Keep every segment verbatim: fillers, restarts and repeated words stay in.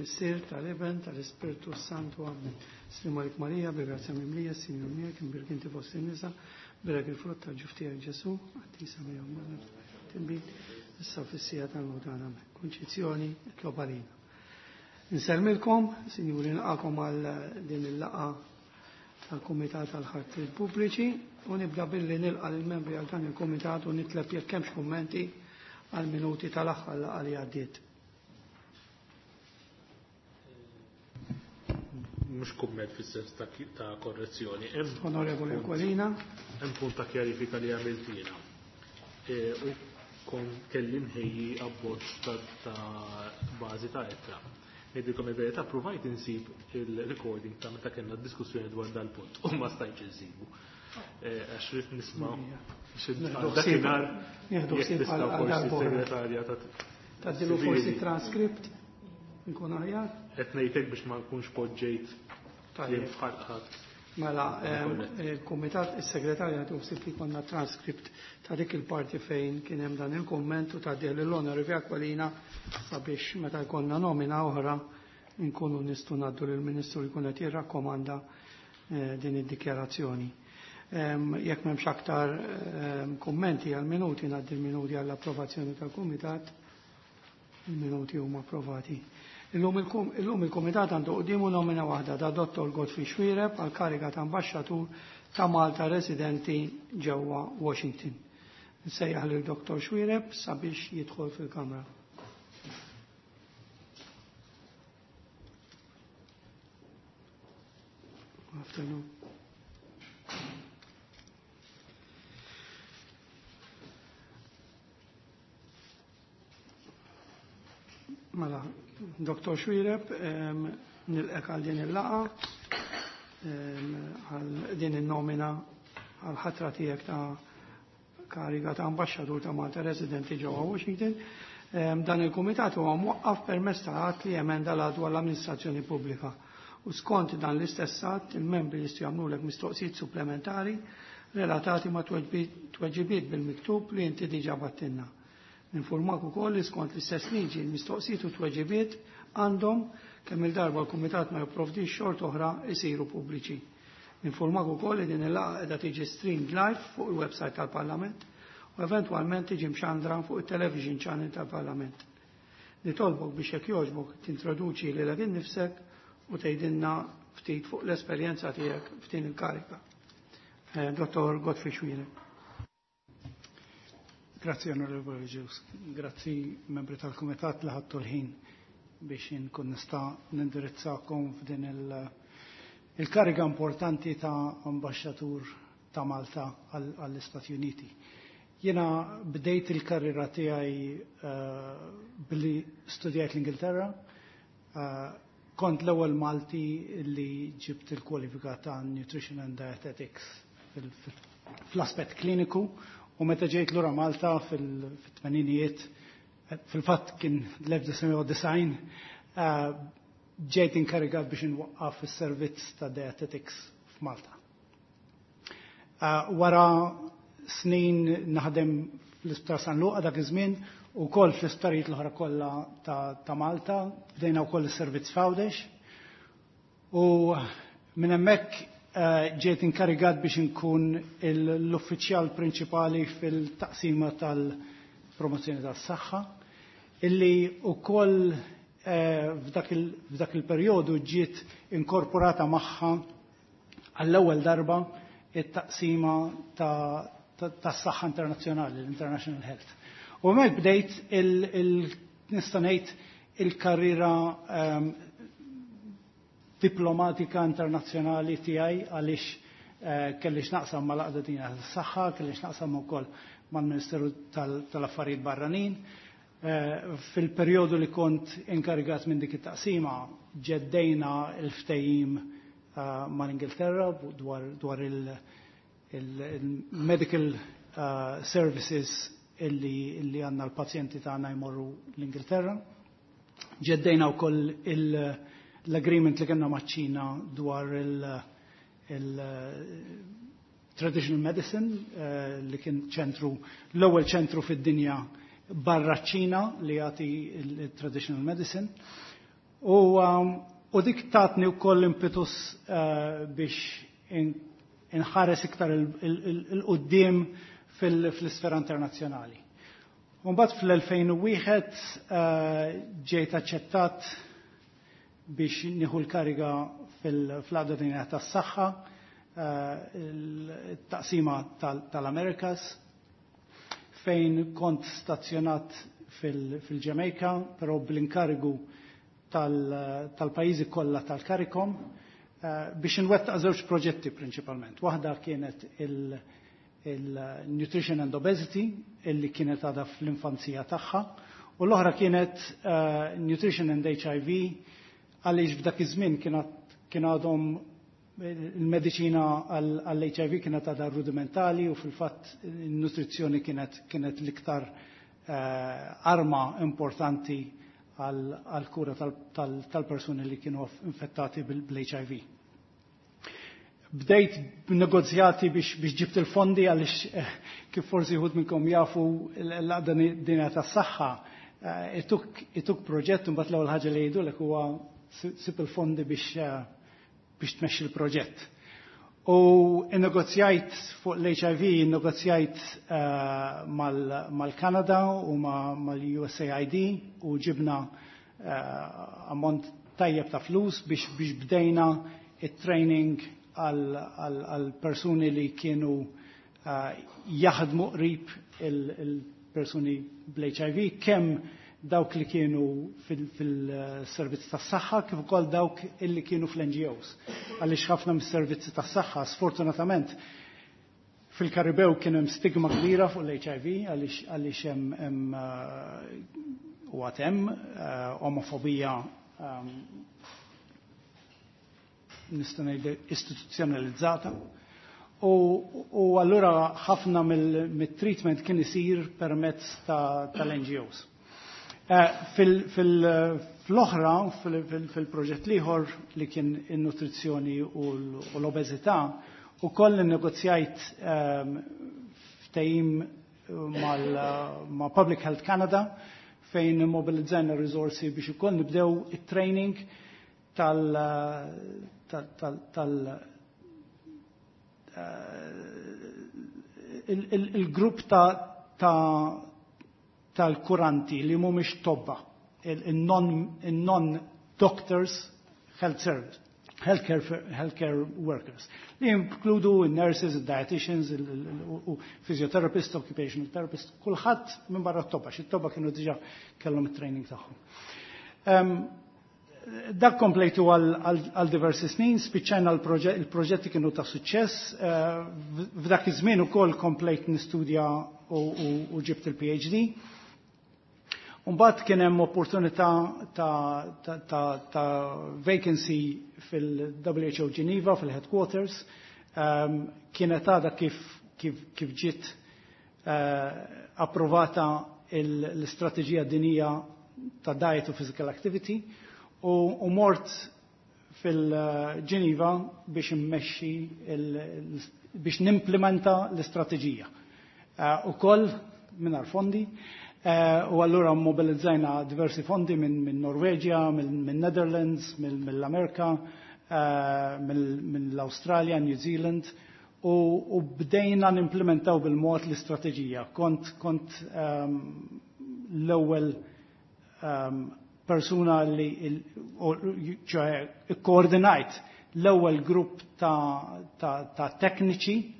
tal-Missier, tal-Iben, tal-Ispirtu Santu. Amen. Slim għalik Marija, bil-grazzja mimlija, Sinjur miegħek, imbierek inti fost in-nisa, bierek il-frott tal-ġuf tiegħek Ġesù, qaddisa Marija Ommna, timbin, issa fis-siegħa tal-mewt tagħna. Amen. Kunċizzjoni, itlob għalina. Insellmilkom, sinjuri, nilqakom għal din il-laqgħa tal-Kumitat tal-Ħartriet Pubbliċi u nibda billi nilqa' lill-membri għal dan il-Kumitat u nitleb jekk hemmx kummenti għal minuti tal-aħħar laqgħa li għaddiet. Mhux kumment fis-sens ta' ta' korrezzjoni. Hemm Onorevoli Aquilina. Hemm punt ta' kjarifika li għamilt jiena. E, u kon kelli nħejji abbozz ta' ta' bażi ta' ittra. Ngħidilkom il-verità, provajt insib il-recording ta' meta kellna diskussjoni dwar dal-punt u ma stajtx insibu. E, għax rrid nisma' dakinhar Nieħdu jekk ħsieb tista' għal forsi darb'oħra. segretarja ta' Tgħaddilu forsi transkript nkun aħjar. Qed ngħidlek biex ma nkunx poġġejt Tajjeb. kliem f'ħalq ħadd. Mela, ehm, il-Kumitat, is-Segretarja għadu ħsieb li jkollna transkript ta' dik il-parti fejn kien hemm dan il-kumment u tgħaddih lill-Onorevoli Aquilina sabiex meta jkollna nomina oħra nkunu nistgħu ngħaddu lill-Ministru li jkun qed jirrakkomanda eh, din id-dikjarazzjoni. Ehm, Jekk m'hemmx aktar ehm, kummenti għal minuti ngħaddi l-minuti għall-approvazzjoni tal-Kumitat. Il-minuti huma approvati. Illum il-kum- illum il-Kumitat għandu quddiemu nomina waħda ta' Dottor Godfrey Xuereb għal kariga ta' ambasċatur ta' Malta residenti ġewwa Washington. Nsejjaħ lil Dottor Xuereb sabiex jidħol fil-Kamra. Afternoon. Mela, Dottor Xuereb, em, nilqek għal din il-laqgħa, em, għal din il-nomina għal ħatra tiegħek ta' kariga ta' ambasċatur ta' Malta residenti ġewwa Washington. Em, Dan il-kumitat huwa mwaqqaf permezz ta' att li emenda l dwar l-amministrazzjoni pubblika. U skont dan l-istess att, il-membri jistgħu jagħmlulek mistoqsijiet supplementari relatati ma' tweġibiet bil-miktub li inti diġà battilna. Ninformak ukoll li skont l-istess liġi l-mistoqsijiet u tweġibiet għandhom kemm il-darba l-Kumitat ma jipprovdix xort oħra isiru pubbliċi. Ninformak ukoll li din il-laqgħa qiegħda tiġi streamed live fuq il-website tal-Parlament u eventwalment tiġi mxandra fuq it-television channel tal-Parlament. Nitolbok biex jekk jogħġbok tintroduċi lilek innifsek u tgħidilna ftit fuq l-esperjenza tiegħek f'din il-karika. Eh, Dottor Godfrey Xuereb. Grazzi, Onorevoli Ġus. Grazzi, membri tal-Kumitat li ħadtu l-ħin biex inkun nista' nindirizzakom f'din il- il-kariga importanti ta' ambasċatur ta' Malta għall-Istati Uniti. Jiena bdejt il-karriera tiegħi eh, billi studjajt l-Ingilterra. Eh, kont l-ewwel Malti li ġibt il-kwalifika ta' Nutrition and Dietetics fl-aspett kliniku. U meta ġejt lura Malta fil-tmeninijiet, fil-fatt kien l-elf disa' u disgħin, eh, ġejt inkarigat biex inwaqqaf is-servizz ta' dietetics f'Malta. Eh, wara snin naħdem fl-Isptar San Luqa dak iż-żmien u wkoll fl-isptarijiet l-oħra kollha ta', ta' Malta, bdejna wkoll is-servizz f'Għawdex. U minn hemmhekk eh, ġejt inkarigat biex inkun l-uffiċjal prinċipali fil-taqsima tal-promozzjoni tas-saħħa, illi wkoll, eh, f'dak il-, f'dak il-perjodu ġiet inkorporata magħha għall-ewwel darba it-taqsima ta', ta, tas-saħħa internazzjonali, l-International Health. U hemmhekk bdejt il-, il-, nista' ngħid il-karriera, ehm, diplomatika internazzjonali tiegħi għaliex, eh, kelli x'naqsam mal-Għaqda Dinjija tas-Saħħa, kelli x'naqsam ukoll mal-Ministeru tal-, tal-Affarijiet Barranin. Eh, fil-perjodu li kont inkarigat minn dik it-taqsima ġeddejna l-ftehim, eh, mal-Ingilterra dwar, dwar il-, il-, il-medical, eh, services illi, illi għandna l-pazjenti tagħna jmorru l-Ingilterra. Ġeddejna wkoll il-, l-agreement li kellna maċ-Ċina dwar il-, il-traditional medicine, eh, li kien ċentru, l-ewwel ċentru fid-dinja barra ċ-Ċina li jagħti il-traditional medicine. U, um, u dik tatni wkoll impetus uh, biex inħares iktar il-qoddim fl-isfera internazzjonali. Mbagħad fl-elfejn u wieħed uh, ġejt aċċettat biex nieħu l-kariga fil-Għaqda Dinjija tas-Saħħa, il-taqsima tal-Amerikas, fejn kont stazzjonat fil-Ġamejka, però bl-inkarigu tal-pajjiżi kollha tal-CARICOM, biex nwettaq żewġ proġetti prinċipalment. Waħda kienet il-Nutrition and Obesity, illi kienet għadha fl-infanzija tagħha, u l-oħra kienet Nutrition and H I V, għaliex f'dak iż-żmien kien għadhom il-mediċina għall-H I V kienet għadha rudimentali u fil-fatt il-nutrizzjoni kienet, kienet l-iktar arma importanti għal-kura tal-persuni li kienu infettati bil-H I V. Bdejt b'negozjati biex, biex ġibt il-fondi għaliex kif forsi wħud minnkom jafu l-Għaqda Dinjija tas-Saħħa ituk, ituk proġett u mbagħad l-ewwel ħaġa li jgħidulek huwa sib il-fondi biex, biex tmexxi l-proġett. U innegozjajt fuq l-H I V, innegozjajt mal-Kanada u mal-U S A I D u ġibna ammont tajjeb ta' flus biex, biex bdejna it-training għal persuni li kienu jaħdmu qrib il-persuni bl-H I V, kemm dawk li kienu fil-servizzi tas-saħħa kif ukoll dawk illi kienu fl-N G Os. Għaliex ħafna mis-servizzi tas-saħħa sfortunatament fil-Karibew kien hemm stigma kbira fuq l-H I V għaliex, għaliex hemm, hemm, u għad hemm omofobija, nista' ngħid istituzzjonalizzata. U, u allura ħafna mill-treatment kien isir permezz tal-N G Os. Fil-oħra, fil-proġett liħor li kien in-nutrizzjoni u l-obeżità, u koll innegozjajt ftehim ma' Public Health Canada fejn immobilizzajna risorsi biex ukoll nibdew it-training tal-, tal, tal, il-grupp ta' tal-kuranti li mhumiex tobba, il-non-doctors health service, healthcare, healthcare workers, li jinkludu il-nurses, il-dietitians, u physiotherapists, occupational therapists, kulħadd minn barra t-tobba, xi t-tobba kienu diġà kellhom it-training tagħhom. Dak komplejtu għal diversi snin, spiċċajna l-proġetti kienu ta' suċċess, f'dak iż-żmien ukoll komplejt nistudja u ġibt il-P H D. Mbagħad kien hemm opportunità ta', ta, ta, ta' vacancy fil-W H O Geneva, fil-headquarters. Um, kienet għadha kif, kif, kif ġiet uh, approvata l-istrateġija dinija ta' diet u physical activity u, u mort fil-Geneva biex immexxi biex nimplementa l-istrateġija. Uh, u koll mingħajr fondi. Uh, u allura mobilizzajna diversi fondi minn min Norveġja, minn min Netherlands, minn mill-Amerika, uh, mill-Australia, New Zealand, u, u bdejna nimplementaw bil-mod l-istrateġija. Kont, kont, um, l-ewwel, um, persuna li ċoħe koordinajt l-ewwel grupp ta', ta, ta' tekniċi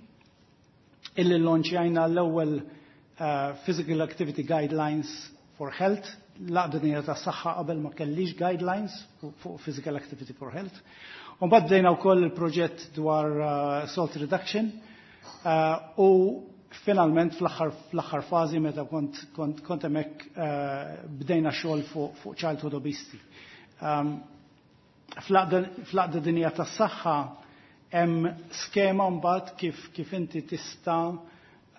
illi launchjajna l-ewwel Uh, Physical Activity Guidelines for Health. L-Għaqda Dinjija tas-Saħħa qabel ma kellix guidelines fuq Physical Activity for Health. U mbagħad bdejna wkoll il-proġett dwar, uh, salt reduction, uh, u finalment fl-aħħar, fl-aħħar fażi meta kont, kont, kont hemmhekk, uh, bdejna xogħol fuq, fuq childhood obesity. Um, fl-Għaqda Dinjija tas-Saħħa hemm skema mbagħad kif, kif inti tista'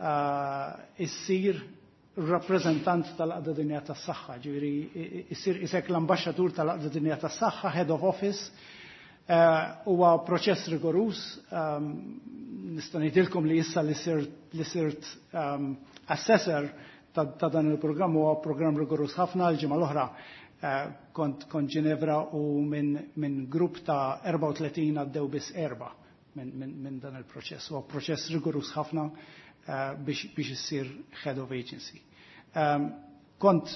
Uh, issir rappreżentant tal-Għaqda Dinjija tas-Saħħa, ġifieri issir isek l-ambaxxatur tal-Għaqda Dinjija tas-Saħħa, head of office. Uh, huwa proċess rigorus, um, nista' ngħidilkom li issa li sirt, li sirt, um, assessor ta', ta' dan il-programm huwa programm rigorus ħafna. L-ġimgħa l-oħra, Eh, kont kont Ġinevra u minn min grupp ta' erbgħa u tletin għaddew biss erba' minn min, min dan il-proċess. Huwa proċess rigorus ħafna eh, biex, biex issir head of agency. Um, kont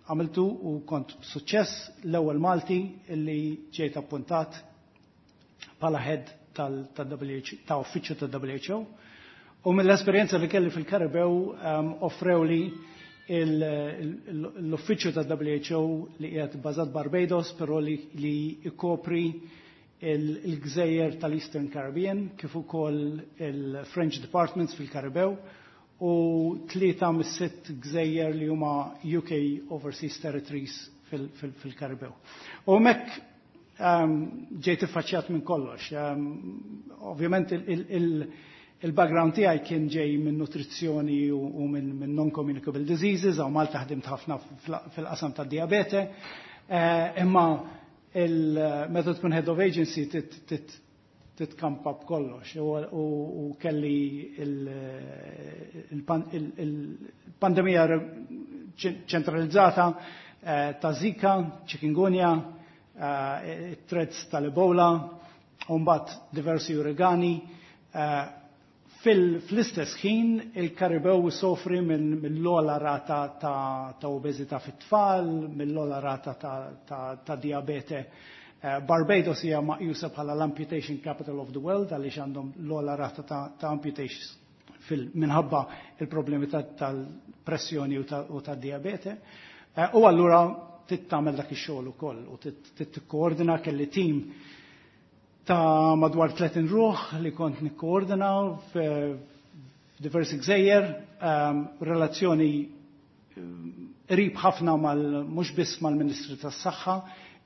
għamiltu u kont b'suċċess l-ewwel Malti illi ġejt appuntat bħala head tal-W H ta' uffiċċju ta' W H O. U mill-esperjenza li kelli fil-Karibew um, offrew li l-uffiċċju ta' W H O li qiegħed bażat Barbados, però li, li ikopri il-gżejjer tal-Eastern Caribbean kif ukoll il-French Departments fil-Karibew u tlieta mis-sitt gżejjer li huma U K Overseas Territories fil-Karibew. U hemmhekk um, ġejt iffaċċjat minn kollox. Um, ovvjament il-background tiegħi kien ġej minn nutrizzjoni u, u minn min non-communicable diseases, hawn Malta ħdimt ħafna fil-qasam tad-diabete, uh, imma il-meta tkun head of agency titkampa b'kollox u kelli il-pandemija ċentralizzata eh, ta' Zika, chikungunya, eh, threats tal-Ebola, u mbagħad diversi uragani. Eh, fl-istess ħin il-Karibew sofri mill-ogħla rata ta' obeżità fit-tfal, mill-ogħla rata ta' diabete. Eh, Barbados hija meqjusa bħala l-amputation capital of the world għaliex għandhom l-ogħla rata ta' amputations minħabba il-problemi tal-pressjoni u tad-diabete. Eh, u allura trid tagħmel dak ix-xogħol ukoll u tikkoordina. Kelli team ta' madwar tletin ruħ li kont nikkoordina f'diversi gżejjer, ehm, relazzjoni ehm, qrib ħafna mal mhux biss mal-Ministri tas-Saħħa,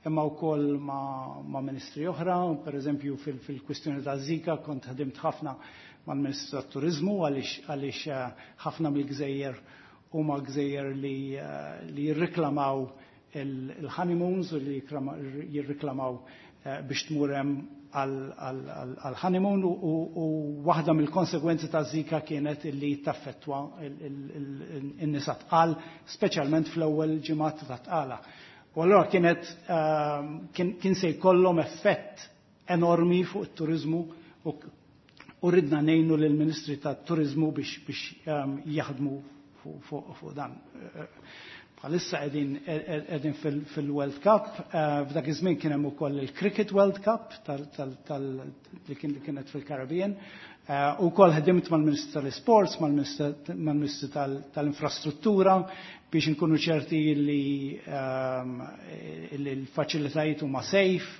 imma wkoll ma', ma ministri oħra, per eżempju fil-kwistjoni ta' Zika kont ħdimt ħafna mal-Ministru tat-Turizmu għaliex għaliex eh, ħafna mill-gżejjer huma gżejjer li, eh, li jirriklamaw il-honeymoons u li jirriklamaw eh, biex tmur hemm għal-honeymoon u waħda mill-konsegwenzi ta' Zika kienet illi taffettwa in-nisa tqal, speċjalment fl-ewwel ġimgħat ta' tqala. U allura kienet ehm, kien se jkollhom effett enormi fuq it-turizmu u ridna ngħinu lill-Ministri tat-Turizmu biex biex ehm, jaħdmu fuq dan. Bħalissa qegħdin fil-World Cup, eh, f'dak iż-żmien kien hemm ukoll il-Cricket World Cup li kienet fil-Caribbean. Eh, u wkoll ħdimt mal-Ministru tal-Sports, mal-Ministru tal-Infrastruttura biex nkunu ċerti li ehm, l-faċilitajiet huma safe,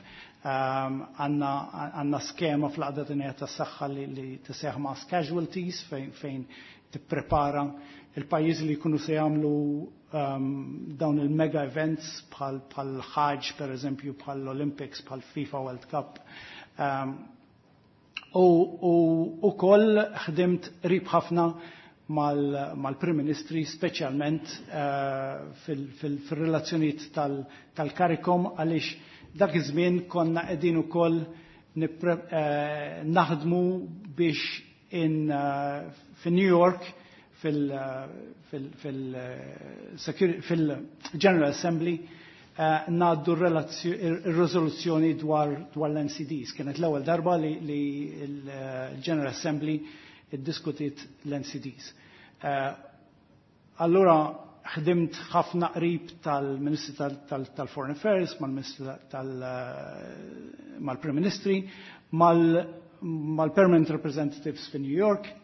ehm, għandna skema fl-Għaqda Dinjija tas-Saħħa li tissejjaħ mass casualties fejn tipprepara il-pajjiżi li jkunu se jagħmlu um, dawn il-mega events bħal bħal Hajj per eżempju, bħal Olympics, bħal FIFA World Cup. Um, u ukoll ħdimt qrib ħafna mal-Prim Ministri, speċjalment uh, fil-relazzjonijiet tal-CARICOM, għaliex dak iż-żmien konna qegħdin ukoll uh, naħdmu biex in uh, fi New York fil-General Assembly eh, ngħaddu il-rezoluzzjoni dwar l-N C Ds. Kienet l-ewwel darba li l-General Assembly iddiskutiet l-N C Ds. Eh, allura ħdimt ħafna qrib tal-Ministri tal-Foreign Affairs, mal-Ministri mal-Prim Ministri, mal-Permanent Representatives fi New York,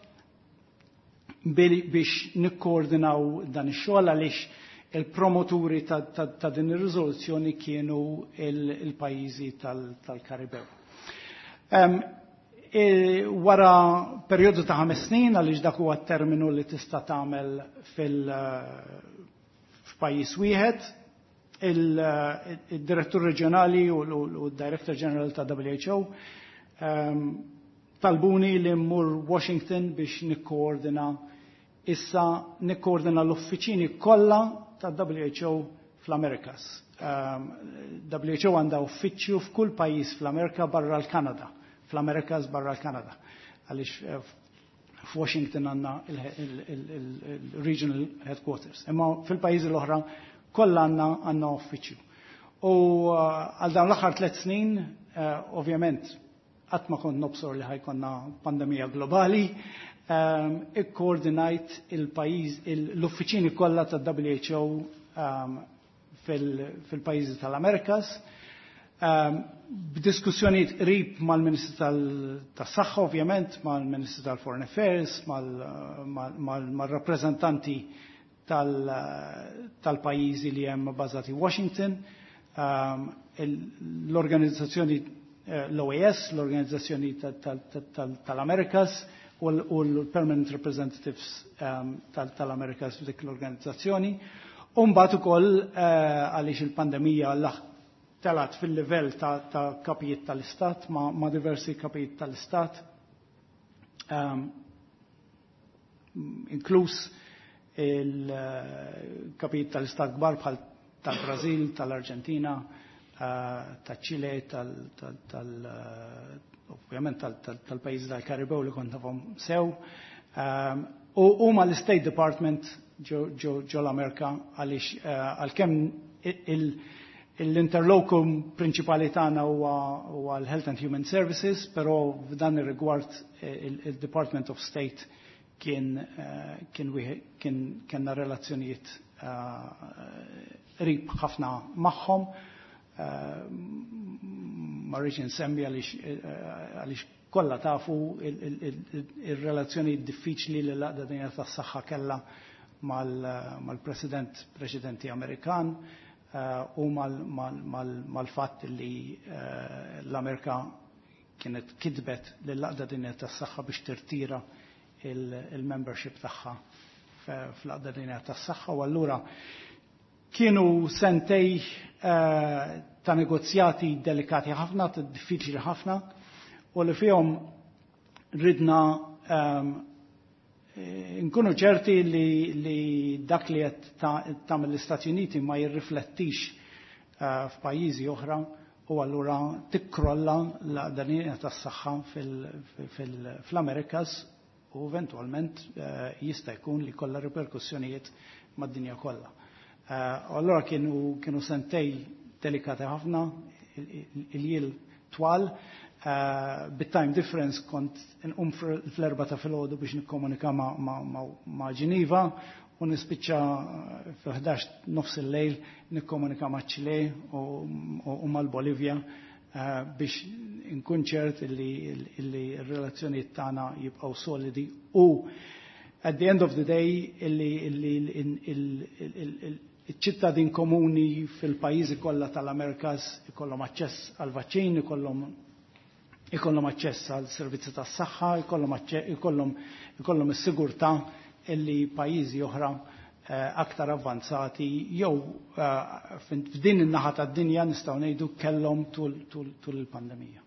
biex nikkoordinaw dan ix-xogħol għaliex il-promoturi ta', ta, ta din ir-riżoluzzjoni kienu il-pajjiżi tal-Karibew. Um, e, wara perjodu ta' ħames snin, għaliex dak huwa terminu li tista' tagħmel fil f'pajjiż wieħed, il-direttur reġjonali u l-Director General ta' W H O um, talbuni li mmur Washington biex nikkoordina issa nikkoordina l-uffiċini kollha ta' W H O fl-Amerikas. Um, W H O għandha uffiċċju f'kull pajjiż fl-Amerika barra l-Kanada, fl-Amerikas barra l-Kanada. Għaliex eh, f'Washington għandna il-regional headquarters. Imma fil-pajjiżi l-oħra Kollha għandna għandna uffiċċju. U għal dawn l-aħħar tliet snin, ovvjament, qatt ma kont nobsor li ħa jkollna pandemija globali, ikkoordinajt il-pajjiż l-uffiċini kollha tad-W H O fil-pajjiżi tal-Amerikas, b'diskussjonijiet qrib mal-Ministru tas-Saħħa ovvjament, mal-Ministru tal-Foreign Affairs, mal-rappreżentanti tal-pajjiżi li hemm bażati Washington, l-organizzazzjoni l-O A S, l-Organizzazzjoni tal-Amerikas u l-Permanent Representatives tal-Amerikas f'dik l-organizzazzjoni. U mbagħad ukoll għaliex il-pandemija telat fil-livell ta' kapijiet tal-istat, ma' diversi kapijiet tal-istat, inkluż il-kapijiet tal-istat kbar bħal tal-Brazil, tal-Arġentina, tal-Ċile, tal ovvjament tal-pajjiżi tal-Karibew li kont nafhom sew. U ma l-State Department ġo l-Amerika għaliex għalkemm l-interlocutor prinċipali tagħna huwa l-Health and Human Services, però f'dan ir-rigward il-Department of State kien kien kien kellna relazzjonijiet qrib ħafna magħhom. Ma rridx insemmi għaliex kollha tafu il-relazzjoni diffiċli li l-Għaqda Dinjija tas-Saħħa kellha mal-President preċedenti Amerikan u mal-fatt li l-Amerika kienet kitbet lill-Għaqda Dinjija tas-Saħħa biex tirtira il-membership tagħha fl-Għaqda Dinjija tas-Saħħa u allura kienu sentejn ta' negozjati delikati ħafna, diffiċli ħafna, u li fihom ridna nkunu ċerti li, li dak li qed tagħmel l-Istati Uniti ma jirriflettix f'pajjiżi oħra u allura tikkrolla l-Għaqda tas-Saħħa fl-Amerikas u eventualment jista' jkun li kollha riperkussjonijiet mad-dinja kollha. Allura kienu kienu sentejn delikati ħafna, il-jiem twal, bit-time difference kont nqum fl-erbgħa ta' filgħodu biex nikkomunika ma', ma, ma, ma Ġiniva u nispiċċa fil-ħdax nofs il-lejl nikkomunika ma' Ċile u, u mal-Bolivja biex nkun ċert illi r-relazzjonijiet tagħna jibqgħu solidi u at the end of the day illi il-ċittadin komuni fil-pajjiżi kollha tal-Amerikas ikollhom aċċess għal vaċċin, ikollhom ikollhom aċċess għal servizzi tas-saħħa, ikollhom ikollhom ikollhom is-sigurtà illi pajjiżi oħra aktar avvanzati jew f'din in-naħa tad-dinja nistgħu ngħidu kellhom tul tul il-pandemija.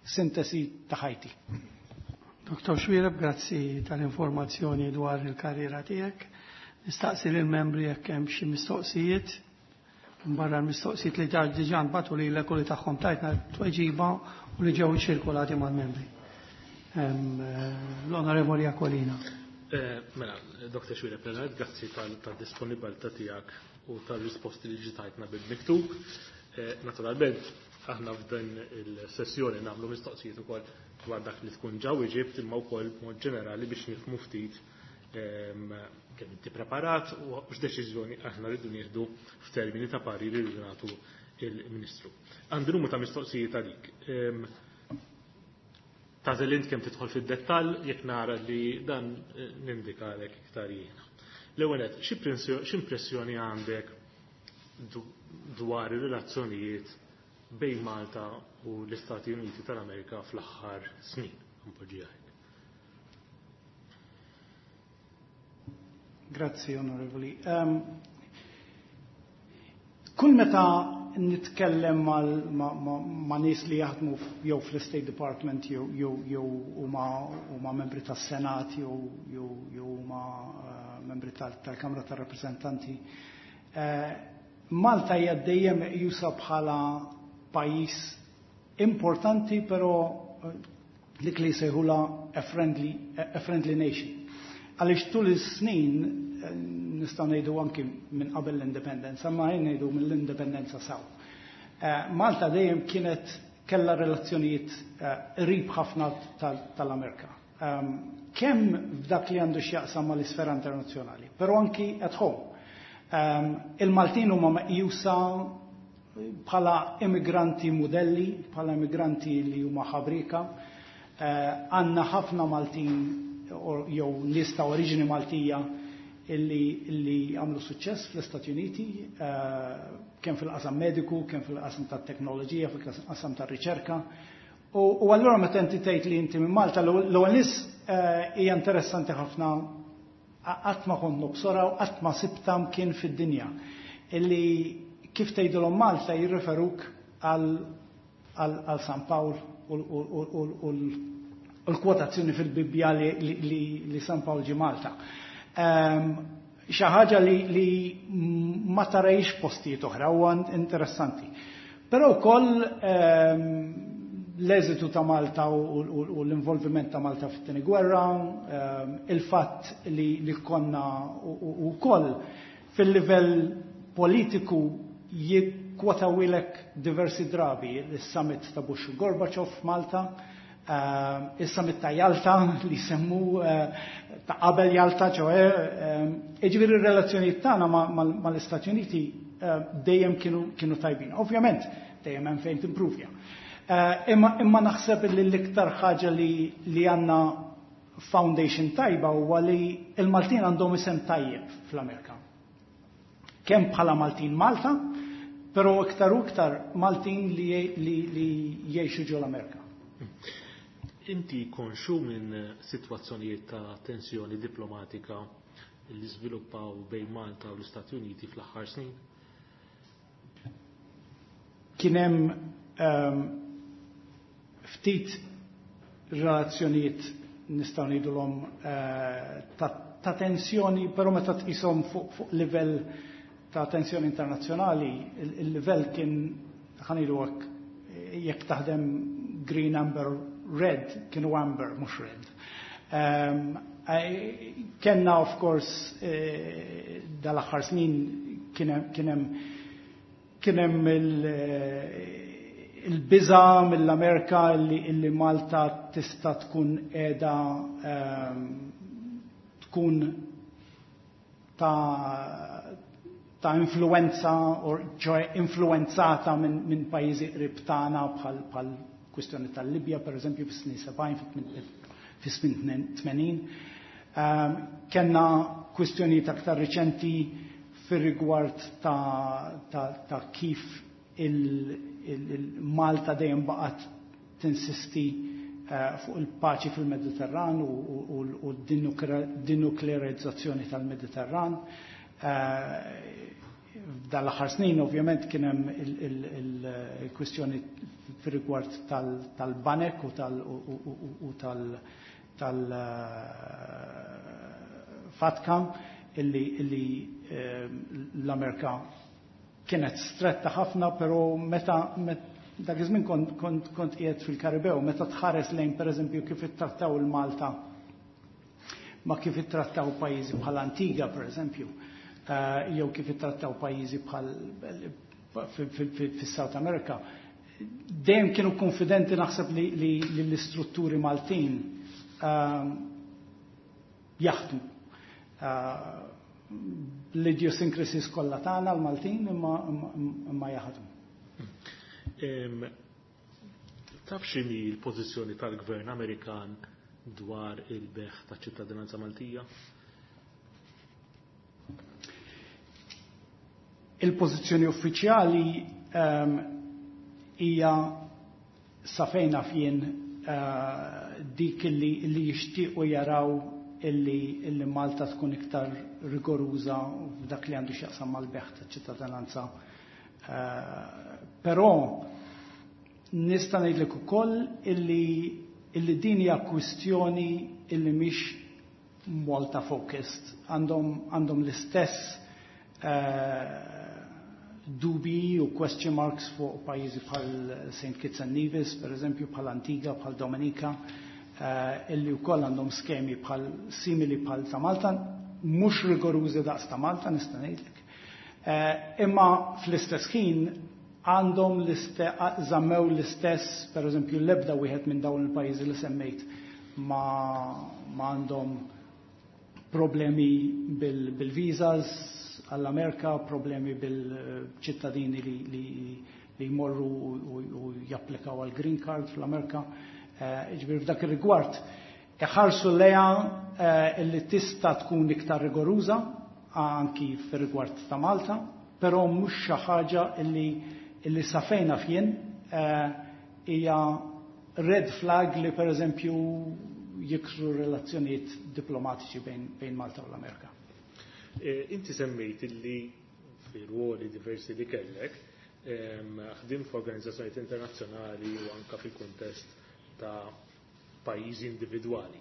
Sintesi ta' ħajti. Doktor Xuereb, grazzi tal-informazzjoni dwar il-karriera tiegħek. Nistaqsi lill-membri jekk hemm xi mistoqsijiet. Barra l-mistoqsijiet li diġà nbagħtu lilek u li tagħhom tajtna tweġiba u li ġew ċirkolati mal-membri. L-Onorevoli Aquilina. Mela, Doktor Xuereb, grazzi tal-disponibilità tiegħek u tal-risposti li ġitajtna bil-miktub. Naturalment, aħna f'dan il-sessjoni nagħmlu mistoqsijiet ukoll dwar dak li tkun ġa weġibt imma wkoll b'mod ġenerali biex nifhmu ftit kemm inti preparat u x'deċiżjoni aħna rridu nieħdu f'termini ta' pariri li rridu nagħtu il-Ministru. Għandi numru ta' mistoqsijiet għalik. Tagħżel int kemm tidħol fid-dettall, jekk nara li dan nindikalek iktar jiena. L-ewwel nett, x'impressjoni għandek dwar ir-relazzjonijiet bejn Malta u l-Istati Uniti tal-Amerika fl-aħħar snin? Npoġġiha hekk. Grazzi, Onorevoli. Um, kull meta nitkellem ma, ma, ma nies li jaħdmu jew fl-State Department jew jew jew huma huma membri tas-Senat jew jew jew huma uh, membri tal-Kamra tar-Rappreżentanti, uh, Malta hija dejjem meqjusa bħala pajjiż importanti, però dik li jsejħula a friendly, a friendly nation. Għaliex tul is-snin nistgħu ngħidu anki minn qabel l-indipendenza, ma jien ngħidu mill-indipendenza saw. Eh, Malta dejjem kienet kellha relazzjonijiet eh, qrib ħafna tal-Amerika. Ehm, kemm f'dak li għandu x'jaqsam mal-isfera internazzjonali, però anki at home. Ehm, il-Maltin huma meqjusa bħala immigranti modelli, bħala immigranti li huma ħabrika. Eh, għandna ħafna Maltin jew nies ta' oriġini Maltija illi, illi għamlu suċċess fl-Istati Uniti, eh, kemm fil-qasam mediku, kemm fil-qasam tat-teknoloġija, fil-qasam tar-riċerka. U, u allura meta inti tgħid li inti minn Malta, l-ewwel nies eh, hija interessanti ħafna, qatt ma kont nobsora u qatt ma sibta kien fid-dinja illi kif tgħidulhom Malta jirreferuk għal għal San Pawl u l-kwotazzjoni fil-Bibbja li, li, li San Pawl ġi Malta. Ehm, xi ħaġa li, li ma tarajx postijiet oħra huwa interessanti. Però wkoll ehm, l-eżitu ta' Malta u, u, u l-involviment ta' Malta fit-tieni gwerra, ehm, il-fatt li, li konna u wkoll fil-livell politiku jikkwotawilek diversi drabi il-summit ta' Bush u Gorbachev f'Malta, uh, il-summit ta' Jalta li semmu uh, ta' qabel Jalta, ċoè, uh, ir-relazzjonijiet tagħna mal-Istati Uniti dejjem kienu, kienu tajbin. Ovvjament, dejjem hemm fejn timpruvja. Imma, imma naħseb li l-iktar ħaġa li, li għandna foundation tajba huwa li il-Maltin għandhom isem tajjeb fl-Amerika. Kemm bħala Maltin Malta, però iktar u iktar Maltin li, li, li jgħixu ġol Amerika. Inti konxu minn sitwazzjonijiet ta' tensjoni diplomatika li żviluppaw bejn Malta u l-Istati Uniti fl-aħħar snin? Kien hemm um, ftit relazzjonijiet nistgħu ngħidulhom uh, ta', ta' tensjoni, però meta tqishom fuq fu livell ta' tensjoni internazzjonali, il-livell kien, ħa ngħidu hekk, jekk taħdem green, amber, red, kienu amber, mhux red. Um, Kenna, of course, eh, dal-aħħar snin kien hemm kien hemm il-biża mill-Amerika illi, illi Malta tista' tkun qiegħda um, tkun ta' ta' influenza or ċoè influenzata minn min pajjiżi qrib tagħna bħal bħal kwistjoni tal-Libja per eżempju fis-snin sebgħin, fis-snin tmenin. Um, kenna kwistjonijiet aktar riċenti fir-rigward ta', ta, ta' kif il-Malta il, il dejjem baqgħet tinsisti uh, fuq il-paċi fil-Mediterran u, u, u d-denuklearizzazzjoni tal-Mediterran. Uh, Dal-aħħar snin ovvjament kien hemm il-kwistjoni fir-rigward tal-banek u tal- u tal- tal-FATCA illi, illi l-Amerika kienet stretta ħafna, però meta met, dak iż-żmien kont kont kont qiegħed fil-Karibew, meta tħares lejn pereżempju kif ittrattaw il-Malta ma kif ittrattaw pajjiżi bħal Antiga pereżempju, uh, jew kif ittrattaw pajjiżi bħal fis-South America, dejjem kienu konfidenti naħseb li, li, li l-istrutturi Maltin uh, jaħdmu. Uh, l-idiosyncrasies kollha tagħna l-Maltin imma, imma jaħdmu. Taf x'inhi l-pożizzjoni tal-Gvern Amerikan dwar il-bejgħ ta' ċittadinanza Maltija? Il-pożizzjoni uffiċjali um, hija sa fejn naf jien uh, dik li, li jixtiequ jaraw illi, illi Malta tkun iktar rigoruża f'dak li għandu x'jaqsam mal-bejgħ ta' ċittadinanza. Uh, però nista' ngħidlek ukoll illi, illi din hija kwistjoni illi mhix Malta focused. Għandhom, għandhom l-istess uh, dubi u question marks fuq pajjiżi bħal Saint Kitts and Nevis, per eżempju, bħal Antigua, bħal Dominika, uh, illi wkoll għandhom skemi bħal simili bħal ta' Malta. Mhux rigorużi daqs ta' Malta, nista' ngħidlek. Eh, imma fl-istess ħin għandhom żammew l-istess, per eżempju, l-ebda wieħed minn dawn il-pajjiżi li semmejt ma għandhom problemi bil-visas għall-Amerika, problemi bil-ċittadini li, li, li jmorru u japplikaw għal green card fl-Amerika. Eh, ġifieri f'dak ir-rigward iħarsu lejha eh, illi tista' tkun iktar rigoruża anki fir-rigward ta' Malta, però mhux xi ħaġa illi illi sa fejn naf jien eh, hija red flag li, per eżempju, jiksru relazzjonijiet diplomatiċi bejn, bejn Malta u l-Amerika. Inti semmejt illi fi ruoli diversi li kellek, ħdimt f'organizzazzjonijiet internazzjonali u anka fil-kuntest ta' pajjiżi individwali.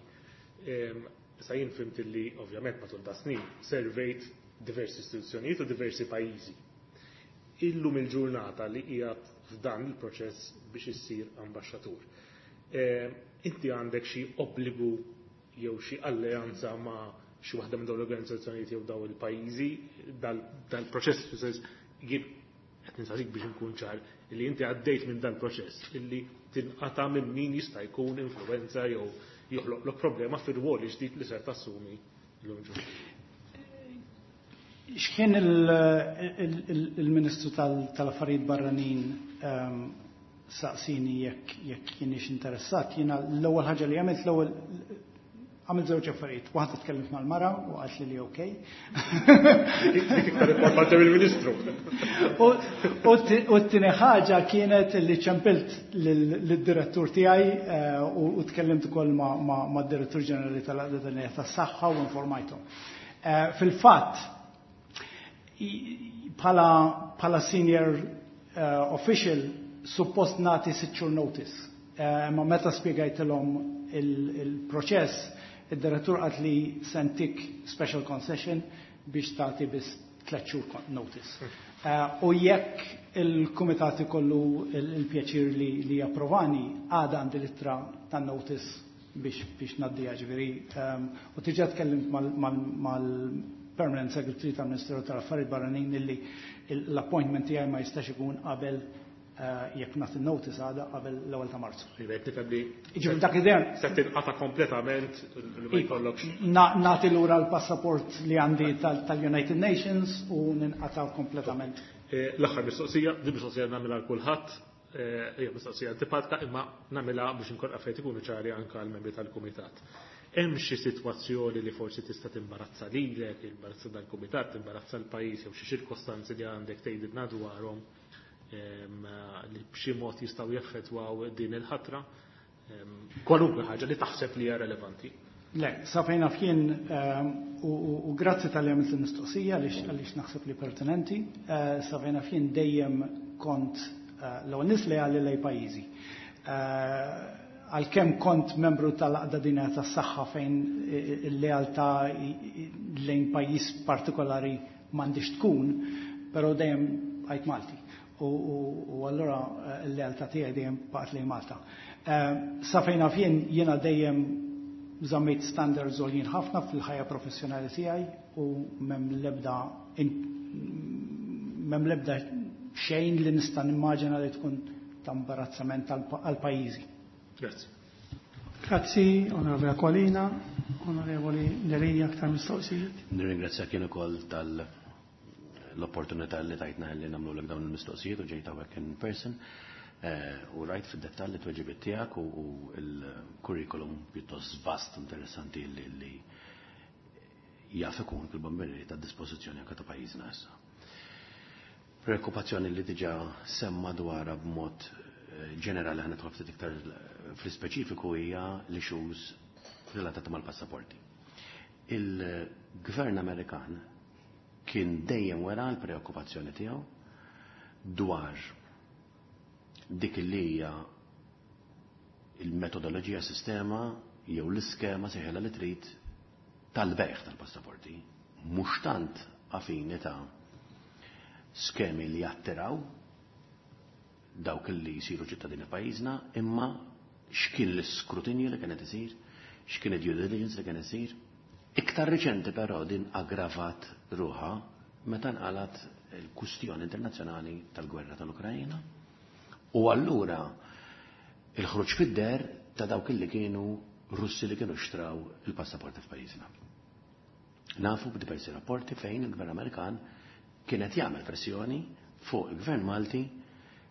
Sa jien fhimt illi ovvjament matul ta' snin servejt diversi istituzzjonijiet u diversi pajjiżi. Illum il-ġurnata li qiegħed f'dan il-proċess biex issir ambaxxatur, inti għandek xi obbligu jew xi alleanza ma' xi waħda minn dawn l-organizzazzjonijiet jew dawn il-pajjiżi? Dal-proċess, jien qed nistaqsik biex inkun ċar li inti għaddejt minn dal-proċess illi tinqata' minn min jista' jkun influenza jew joħloqlok problema fir-rwol ġdid li ser tassumi llum ġurnata. X'kien il-Ministru tal-Affarijiet Barranin ehm, saqsini jekk jekk jienix interessat, jiena l-ewwel ħaġa li għamilt, l-ewwel għamilt żewġ affarijiet. Waħda, tkellimt mal-mara u qalt li li okej. Dik iktar importanti mill-Ministru. U t-tieni ħaġa kienet li ċempilt lid-direttur tiegħi eh, u tkellimt ukoll mad-direttur ġenerali tal-Għaqda Dinjija tas-Saħħa u informajthom. Eh, fil-fatt, bħala senior eh, official suppost nagħti sitt xhur notice. Ma meta spjegajtilhom il-proċess, id-direttur qal li se ntik special concession biex tagħti biss tliet xhur notice. Eh, u jekk il-kumitat ikollu il-pjaċir li, li japprovani, għada għandi l-ittra ta' notice biex, biex ngħaddiha, ġifieri. Um, u diġà tkellimt mal-Permanent Secretary tal-Ministeru tal-Affarijiet Barranin illi l-appointment tiegħi ma jistax ikun qabel, eh, jekk nagħti notice għada, qabel l-ewwel ta' Marzu. Ġifieri nifhem li Ġifieri dak idea se tinqata' kompletament, li ma jkollokx. Nagħti lura l-passaport li għandi tal-United Nations u ninqata' kompletament. Eh, l-aħħar mistoqsija, di mistoqsija nagħmilha għal kulħadd, eh, hija mistoqsija antipatika imma nagħmilha biex inkun affarijiet ikunu ċari anke għal membri tal-kumitat. Hemm xi sitwazzjoni li forsi tista' timbarazza lilek, imbarazza dal-kumitat, timbarazza l-pajjiż jew xi ċirkostanzi li għandek tgħidilna dwarhom li b'xi mod jistgħu jaffettwaw din il-ħatra? Kwalunkwe ħaġa li taħseb li hija relevanti. Le, sa fejn naf jien, u grazzi talli għamilt il-mistoqsija għaliex naħseb li pertinenti, eh, sa fejn naf jien dejjem kont eh, l-ewwel nies leali lejn pajjiżi. Eh, għalkemm kont membru tal-Għaqda Dinjija tas-Saħħa, fejn il-lealtà lejn pajjiż partikolari m'għandix tkun, però dejjem għajt Malti. U allura l-lealtà tiegħi dejjem baqgħet lejn Malta. Sa fejn naf jien, jiena dejjem żammejt standards għoljin ħafna fil-ħajja professjonali tiegħi u m'hemm l-ebda m'hemm l-ebda xejn li nista' nimmaġina li tkun ta' imbarazzament għal pajjiżi. Grazzi. Grazzi, Onorevoli Aquilina, Onorevoli Delia, aktar mistoqsijiet. Nirringrazzjak jien ukoll tal l-opportunità li tajtna li nagħmlu dawn il-mistoqsijiet u ġejt hawnhekk in person. Eh, u rajt fid-dettall li tweġibiet tiegħek u l-kurrikulum pjuttost vast, interessanti, li li jaf ikun fil-bomberi ta' dispożizzjoni anke ta' pajjiżna issa. Preokkupazzjoni li diġà semma dwarha b'mod eh, ġenerali, ħa nidħol ftit iktar fl-ispeċifiku, hija l-issues relatati mal-passaporti. Il-gvern Amerikan kien dejjem wera l-preokkupazzjoni tiegħu dwar dik li hija il-metodoloġija, sistema jew l-iskema, sejħilha li trid, tal-bejgħ tal-passaporti. Mhux tant għall-fini ta' skemi li jattiraw dawk li jisiru ċittadini pajjiżna, imma x'kien l-iskrutinju li kienet isir, x'kien id-due diligence li kien isir, Iktar riċenti però din aggravat ruħha meta nqalat il-kustjoni internazzjonali tal-gwerra tal-Ukrajna u allura il-ħruġ fid-deher ta' dawk li kienu Russi li kienu xtraw il-passaporti f'pajjiżna. Nafu b'diversi rapporti fejn il-Gvern Amerikan kienet jagħmel pressjoni fuq il-Gvern Malti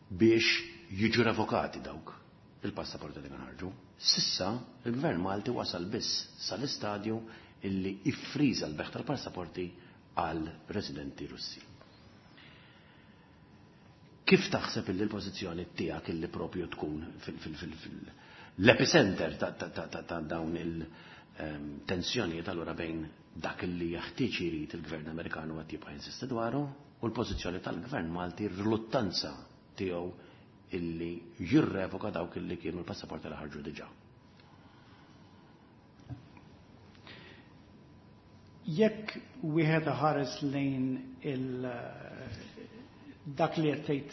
biex jiġu revokati dawk il-passaporti li ħarġu. S'issa il-Gvern Malti wasal biss sal-istadju illi iffriża l-bejgħ tal-passaporti għal residenti Russi. Kif taħseb illi l-pożizzjoni tiegħek illi propju tkun fil-epicenter ta' dawn il-tensjonijiet allura bejn dak illi jeħtieġ irid il-Gvern Amerikan u qed jibqa' jinsisti dwaru u l-pożizzjoni tal-Gvern Malti, r-riluttanza tiegħu illi jirrevoka dawk illi kienu l-passaporti li ħarġu diġà? Jekk wieħed ħares lejn il dak li qed tgħid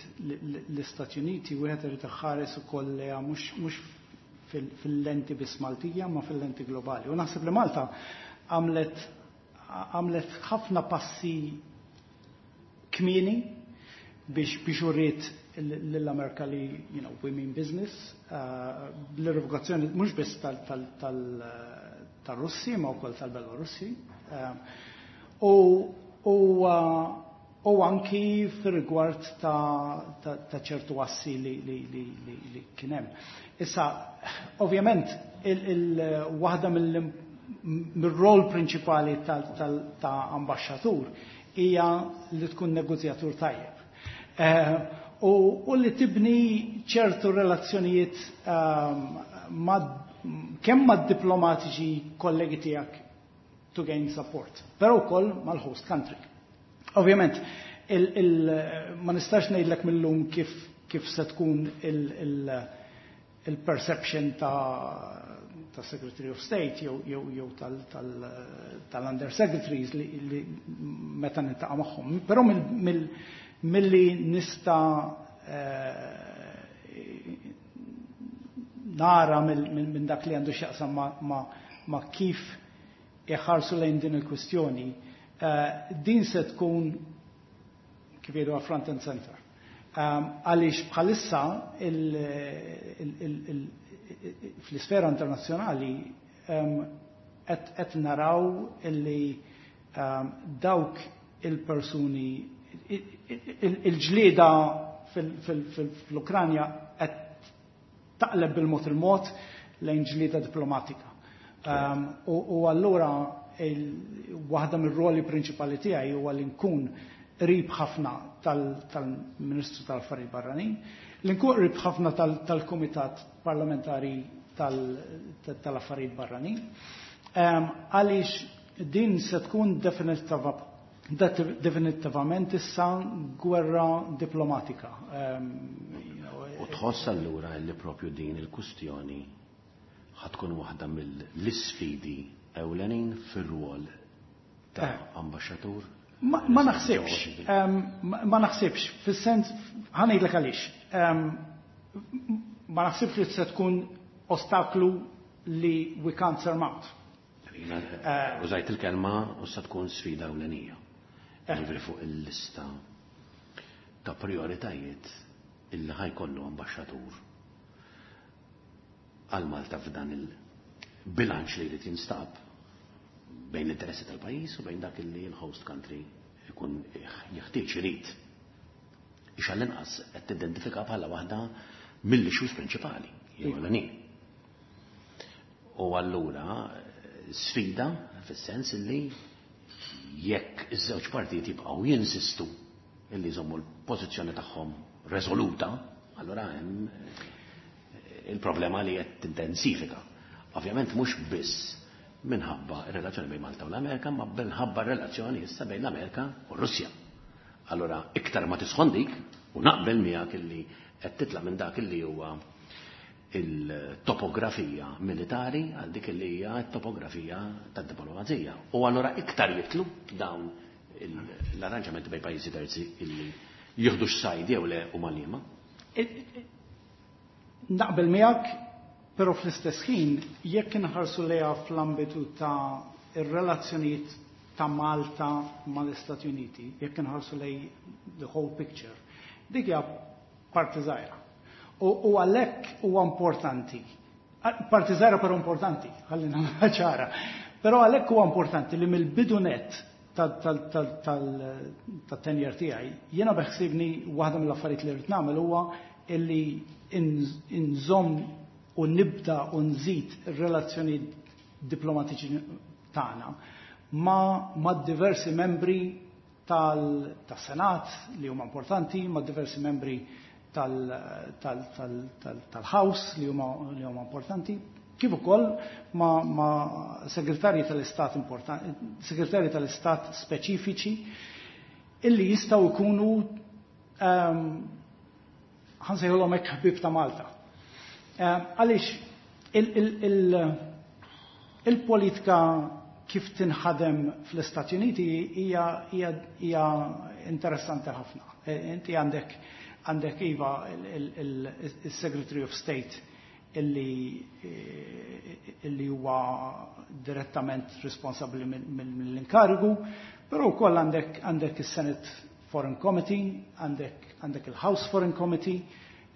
l-Istati Uniti, wieħed irid iħares ukoll lejha mhux fil-lenti biss Maltija ma fil-lenti globali. U naħseb li Malta għamlet għamlet ħafna passi kmieni biex biex uriet lill-Amerika li, you know, we mean business, l-revokazzjoni mhux biss tal-Russi ma wkoll tal-Belorussi. U u anki fir-rigward ta' ċertu assi li kien hemm. Issa, ovvjament, waħda mill-rol prinċipali ta' ambaxxatur hija li tkun negozjatur tajjeb. U li tibni ċertu relazzjonijiet kemm mad-diplomatiċi kollegi tiegħek to gain support, però wkoll mal-host country. Ovvjament, ma nistax ngħidlek mill-lum kif kif se tkun il-perception ta' ta' Secretary of State jew jew tal-Undersecretaries li meta niltaqa' magħhom. Però milli nista' nara minn dak li għandu x'jaqsam ma' kif iħarsu lejn din il-kwistjoni, din se tkun kif jgħidu front and center. Għaliex bħalissa fl-isfera internazzjonali qed naraw illi dawk il-persuni, il-ġlieda fl-Ukranja qed taqleb bil-mod il-mod lejn ġlieda diplomatika. U allura waħda mir-roli prinċipali tiegħi huwa li nkun qrib ħafna tal-Ministru tal-Affarijiet Barranin, li nkun qrib ħafna tal-Kumitat Parlamentari tal-Affarijiet Barranin, għaliex din se tkun definitivament issa gwerra diplomatika. U tħoss allura li propju din il-kustjoni ħatkun waħda mill-isfidi ewlenin fir-rwol ta' ambaxxatur? Ma naħsibx, ma naħsibx, fis-sens, ħa ngħidlek għaliex, ma naħsibx li se tkun ostaklu li we can't surmount. Użajt il-kelma u se tkun sfida ewlenija. Jiġifieri fuq il-lista ta' prioritajiet illi ħajkollu ambaxxatur għal Malta f'dan il-bilanċ li jrid jinstab bejn l-interessi tal-pajjiż u bejn dak li l-host country ikun jeħtieġ irid. Ix għall-inqas qed tidentifika bħala waħda mill-issues prinċipali, jew ewlenin. U allura sfida fis-sens illi jekk iż-żewġ partijiet jibqgħu jinsistu illi jżommu l-pożizzjoni tagħhom resoluta, allura hemm il-problema li qed tintensifika. Ovvjament mhux biss minħabba r-relazzjoni bejn Malta u l-Amerika, ma minħabba r-relazzjoni issa bejn l-Amerika u r-Russja. Allura iktar ma tisħon dik, u naqbel miegħek illi qed titla' minn dak illi huwa il-topografija militari għal dik illi hija t-topografija tad-diplomazija. U allura iktar jitlu dawn l-arranġamenti bejn pajjiżi terzi illi jieħdu x-sajd jew le u mal-liema. Naqbel miegħek, però fl-istess ħin jekk inħarsu lejha fl-ambitu ta' ir-relazzjonijiet ta' Malta mal-Istati Uniti, jekk inħarsu lejn the whole picture, dik hija parti żgħira. U għalhekk huwa importanti. Parti żgħira però importanti, ħalli nagħmilha ċara. Però għalhekk huwa importanti li mill-bidu net tat-tenure tiegħi, jiena beħsibni waħda mill-affarijiet li rrid nagħmel huwa illi inżomm u nibda u nżid ir-relazzjoni diplomatiċi tagħna ma', ma diversi membri tal-Senat li huma importanti, ma' diversi membri tal-House li huma li huma importanti, kif ukoll ma', ma segretarji tal-Istat importanti, segretarji tal-Istat speċifiċi illi jistgħu jkunu um, ħa nsejħulhom hekk ħbieb ta' Malta. Għaliex il-politika kif tinħadem fl-Istati Uniti hija hija interessanti ħafna. E, inti għandek għandek iva il-Secretary of State illi illi huwa direttament responsabbli mill-inkarigu, però wkoll għandek għandek is-Senate Foreign Committee, għandek għandek il-House Foreign Committee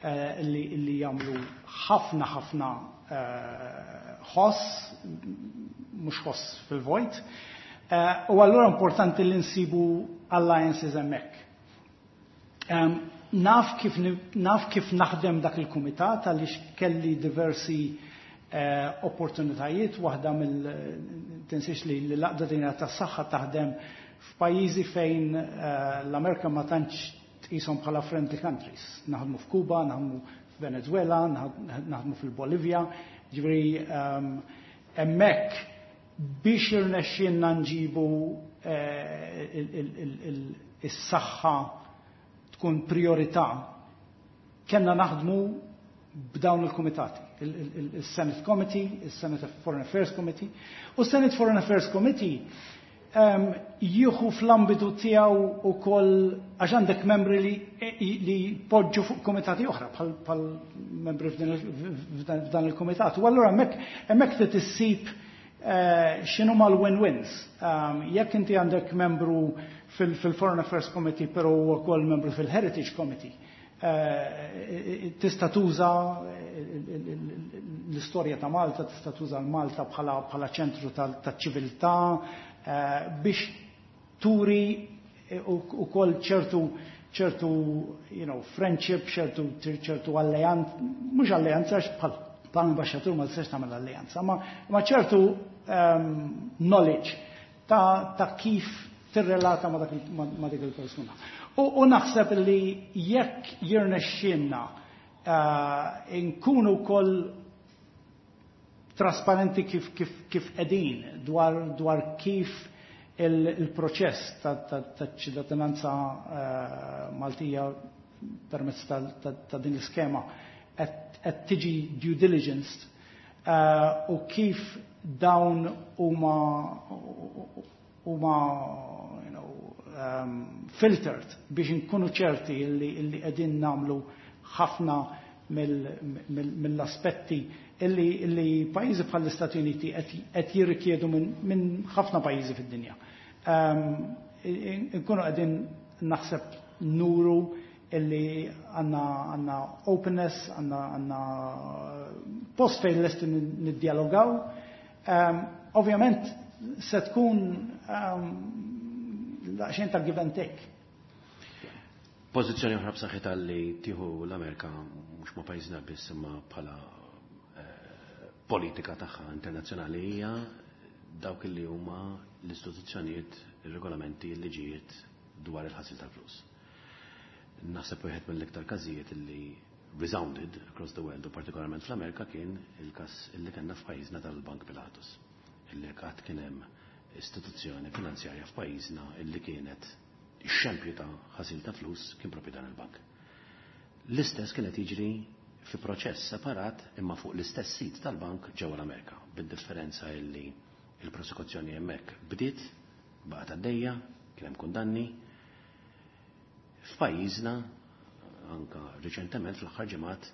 eh, illi, illi jagħmlu ħafna ħafna eh, ħoss, mhux ħoss fil-vojt. Eh, u allura importanti li nsibu alliances hemmhekk. Um, naf kif, naf kif naħdem dak il-kumitat għaliex kelli diversi eh, opportunitajiet, waħda mill tinsiex li l-Għaqda Dinjija tas-Saħħa taħdem f'pajjiżi fejn eh, l-Amerika ma tantx tqishom bħala friendly countries. Naħdmu f'Kuba, naħdmu f'Venezuela, naħdmu fil-Bolivja, ġifieri um, hemmhekk biex irnexxielna nġibu eh, is-saħħa tkun priorità, kellna naħdmu b'dawn il-komitati, il-Senate Committee, il-Senate Foreign Affairs Committee, u Senate Foreign Affairs Committee um, jieħu fl-ambitu tiegħu ukoll għax għandek membri li, li poġġu fuq komitati oħra bħal membri f'dan il-komitat. U allura hemmhekk hemmhekk trid issib uh, x'inhu mal-win-wins. Um, jekk inti għandek membru fil-Foreign Affairs Committee però wkoll membru fil-Heritage Committee, uh, tista' tuża l-istorja ta' Malta, tista' tuża l-Malta bħala ċentru tal-ċiviltà, Eh, biex turi eh, u koll ċertu ċertu you know, friendship, ċertu ċertu alleanza, mhux alleanza bħal bħal ambasċatur ma tistax tagħmel alleanza, ma, ma ċertu um, knowledge ta', ta' kif tirrelata ma, ma, ma dik il-persuna. U, u naħseb li jekk jirnexxielna uh, nkunu koll trasparenti kif, kif, kif qegħdin dwar, dwar kif il-proċess ta' ċittadinanza uh, Maltija permezz ta', ta, ta din l-iskema qed tiġi due diligence uh, u kif dawn huma huma you know, um, filtered biex nkunu ċerti illi, illi qegħdin nagħmlu ħafna mill-aspetti illi, illi pajjiżi bħall-Istati Uniti qed jirrikjedu minn min ħafna pajjiżi fid-dinja. Um, nkunu qegħdin naħseb nuru illi għandna għandna openness, għandna għandna post fejn lesti niddialogaw. Um, Ovvjament se tkun um, daqsxejn ta' give and take. Pożizzjoni oħra b'saħħitha li tieħu l-Amerika mhux ma' pajjiżna biss imma bħala eh, politika tagħha internazzjonali hija dawk li huma l-istituzzjonijiet, ir-regolamenti, l-liġijiet dwar il-ħasil tal-flus. Naħseb wieħed mill-iktar każijiet li resounded across the world u partikolarment fl-Amerika kien il-każ illi kellna f'pajjiżna tal-Bank Pilatus. Illi qatt kien hemm istituzzjoni finanzjarja f'pajjiżna illi kienet ix-xempju ta' ħasil ta' flus kien propju dan il-bank. L-istess kienet jiġri fi proċess separat imma fuq l-istess sit tal-bank ġewwa l-Amerika, bid-differenza illi il-prosekuzzjoni hemmhekk bdiet, baqgħet għaddejja, kien hemm kundanni. F'pajjiżna anka riċentement fl-aħħar ġimgħat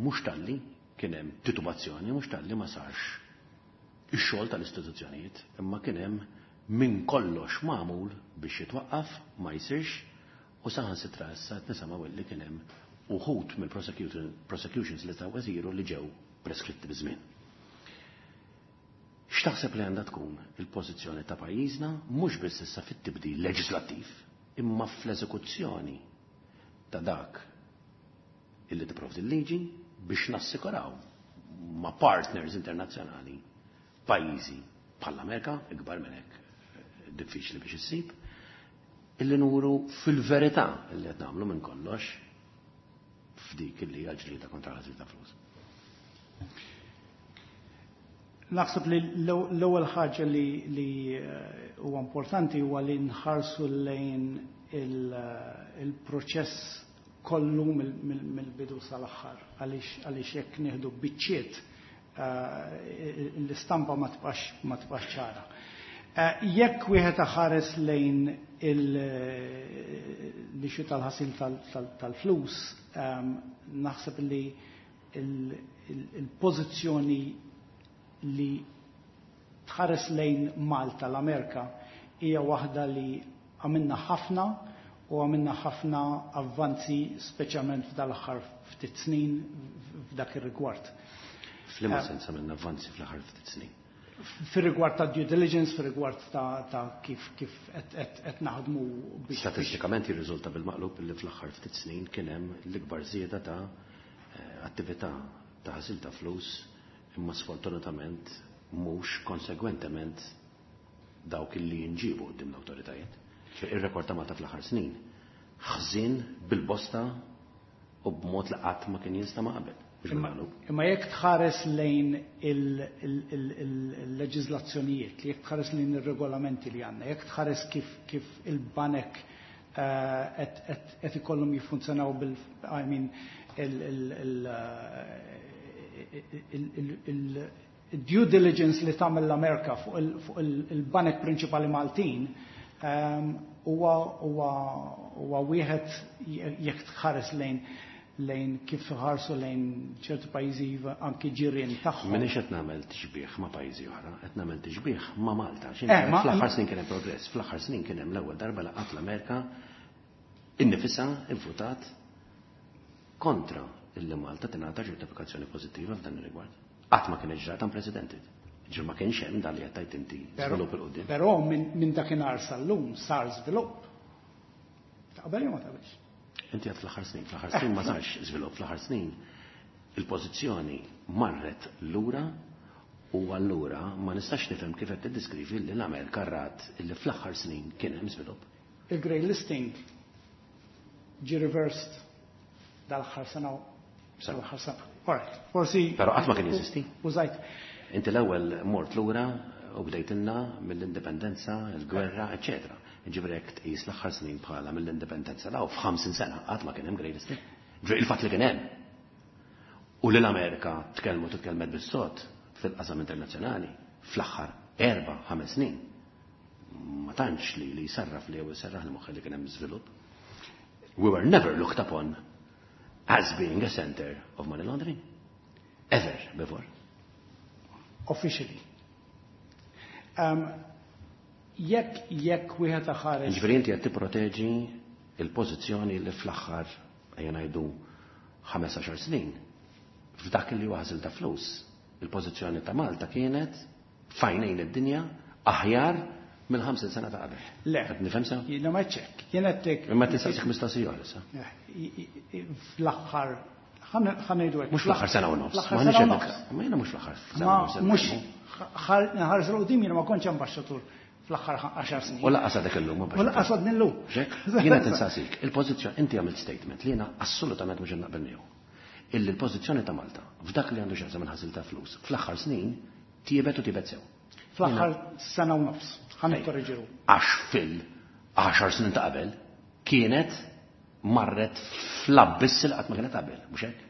mhux talli kien hemm titubazzjoni, mhux talli ma sarx ix-xogħol tal-istituzzjonijiet, imma kien hemm minn kollox magħmul biex jitwaqqaf, ma jsirx, u saħansitra issa qed nisimgħu li kien hemm uħud mill-prosecutions li taw isiru li ġew preskritti biż-żmien. X'taħseb li għandha tkun il-pożizzjoni ta' pajjiżna mhux biss issa fit-tibdil leġislattiv, imma fl-eżekuzzjoni ta' dak illi tipprovdi l-liġi biex nassikuraw ma' partners internazzjonali, pajjiżi bħall-Amerika, ikbar minn hekk diffiċli biex issib, illi nuru fil-verità illi qed nagħmlu minn kollox f'dik illi hija ġlieda kontra l-ħasil ta' flus. Naħseb li l-ewwel ħaġa li li huwa importanti huwa li nħarsu lejn il-proċess kollu mill-bidu sal-aħħar, għaliex għaliex jekk nieħdu biċċiet l-istampa ma tibqax ma tibqax ċara. Jekk wieħed ħares lejn l-issue tal-ħasil tal-flus, naħseb li il-pożizzjoni li tħares lejn Malta, l-Amerika, hija waħda li għamilna ħafna u għamilna ħafna avvanzi, speċjalment f'dal-aħħar ftit snin f'dak ir-rigward. F'liema sens għamilna avvanzi fl-aħħar ftit snin? Fir-rigward ta' due diligence, fir-rigward ta', ta kif kif qed naħdmu biex. Statistikament jirriżulta bil-maqlub li fl-aħħar ftit snin kien hemm l-ikbar żieda ta' attività ta' ħasil ta' flus, imma sfortunatament mhux konsegwentement dawk li jinġibu quddiem l-awtoritajiet. Ir-rekord ta' Malta fl-aħħar snin ħżin bil-bosta u b'mod li qatt ma kien jinstama' qabel. Imma jekk tħares lejn il-leġiżlazzjonijiet, jekk tħares lejn ir-regolamenti li għandna, jekk tħares kif kif il-banek qed ikollhom jiffunzjonaw bil I mean il-due diligence li tagħmel l-Amerika fuq il-banek prinċipali Maltin huwa huwa wieħed jekk tħares lejn lejn kif ħarsu lejn ċertu pajjiżi anki ġirien tagħhom. M'inhiex qed nagħmel tixbih ma' pajjiżi oħra, qed nagħmel tixbih ma' Malta. Fl-aħħar snin kien hemm progress, fl-aħħar snin kien hemm l-ewwel darba laqgħat l-Amerika innifisha infutat kontra illi Malta tingħata ċertifikazzjoni pożittiva f'dan ir-rigward. Qatt ma kien ġrat unprecedented. Ġir ma kienx hemm dan li qed tgħid inti żvilupp 'il quddiem. Però minn dakinhar sal-lum sar żvilupp. Taqbel jew ma taqbilx? Inti għad fl-aħħar snin, fl-aħħar snin ma sarx żvilupp, fl-aħħar snin il-pożizzjoni marret lura u allura ma nistax nifhem kif qed tiddiskrivi li l-Amerika rat illi fl-aħħar snin kien hemm żvilupp. Il-grey listing ġie reversed dal-aħħar sena dal-aħħar sena. Alright, forsi. Però qatt ma kien jeżisti. Użajt. Inti l-ewwel mort lura u bdejtilna mill-indipendenza, il-gwerra, eċċetera. Ġifieri jekk tqis l-aħħar snin bħala mill-indipendenza law f'ħamsin sena qatt ma kien hemm grey listing. Ġifieri il-fatt li kien hemm. U li l-Amerika tkellmu titkellmet bis-sod fil-qasam internazzjonali fl-aħħar erba' ħames snin. Ma tantx li li jsarraf li jew jserraħ l-moħħ li kien hemm żvilupp. We were never looked upon as being a center of money laundering. Ever before. Officially. Um, jekk jekk wieħed ħares. Ġifieri inti qed tipproteġi il-pożizzjoni li fl-aħħar ejja ngħidu ħames għaxar snin f'dak li huwa ħasil ta' flus. Il-pożizzjoni ta' Malta kienet f'għajnejn id-dinja aħjar mill-ħamsin sena ta' qabel. Le. Qed nifhem sew? Jiena ma ċekk. Jien qed Imma tistaqsik mistoqsija oħra issa. Fl-aħħar ħa ngħidu hekk. Mhux fl-aħħar sena u nofs. Fl-aħħar sena u nofs. Ma jiena mhux fl-aħħar sena u nofs. Mhux ħares 'l quddiem jiena ma kontx ambaxxatur fl-aħħar għaxar snin. U lanqas għadek illum. U lanqas għadni llum. Jiena tinsaqsik, il-pożizzjoni inti għamilt statement li jiena assolutament mhux naqbel miegħu. Illi l-pożizzjoni ta' Malta f'dak li għandu x'jaqsam il-ħasil ta' flus fl-aħħar snin tiebet u tiebet sew. Fl-aħħar sena u nofs, ħa nikkorreġiru. Għax fil-għaxar snin ta' qabel kienet marret fl-abbiss li qatt ma kienet qabel, mhux hekk?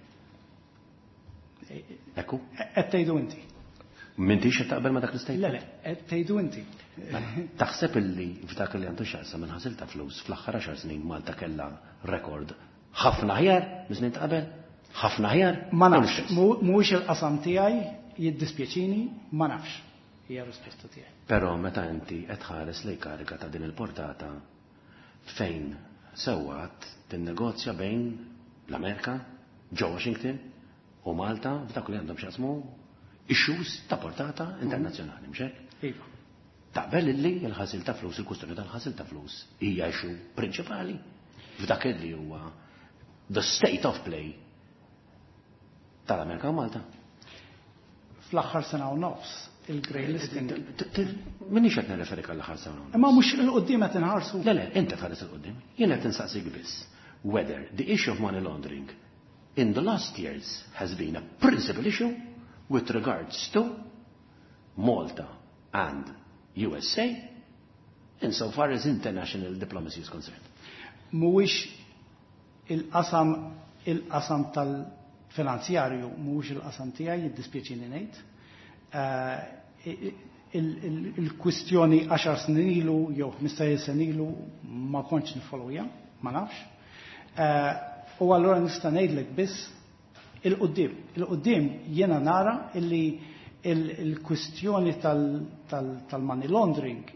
Ekku? Qed tgħidu inti. M'intix qed taqbel ma dak l-istatement? Le, le, qed tgħidu inti. Taħseb illi f'dak li għandu x'jaqsam minn ħasil ta' flus fl-aħħar għaxar snin Malta kellha rekord ħafna aħjar minn snin ta' qabel? Ħafna aħjar? Ma nafx, mhuwiex il-qasam tiegħi, jiddispjaċini, ma nafx. Hija risposta tiegħi. Però meta inti qed tħares lejn kariga ta' din il-portata fejn sewwa tinnegozja bejn l-Amerika, ġo Washington u Malta f'dak li għandhom x'jaqsmu issues ta' portata internazzjonali, mhux hekk? Iva. Taqbel illi il-ħasil ta' flus, il-kustjoni tal-ħasil ta' flus hija issue prinċipali f'dak li huwa the state of play tal-Amerika u Malta. Fl-aħħar sena u nofs il-grey listing. M'iniex qed nirreferi għall-aħħar sena u nofs. Imma mhux 'il quddiem qed inħarsu. Le, le, inti tħares 'il quddiem. Jien qed insaqsik biss whether the issue of money laundering in the last years has been a principal issue with regards to Malta and U S A insofar as international diplomacy is concerned. Mhuwiex il-qasam il-qasam tal-finanzjarju, mhuwiex il-qasam tiegħi, jiddispjaċini ngħid. Eh, il-kwistjoni għaxar snin ilu jew ħmistax-il sena ilu ma kontx nifollowja, ma nafx. Eh, u allura nista' ngħidlek biss 'il quddiem. 'Il quddiem jiena nara illi il-kwistjoni tal-money laundering,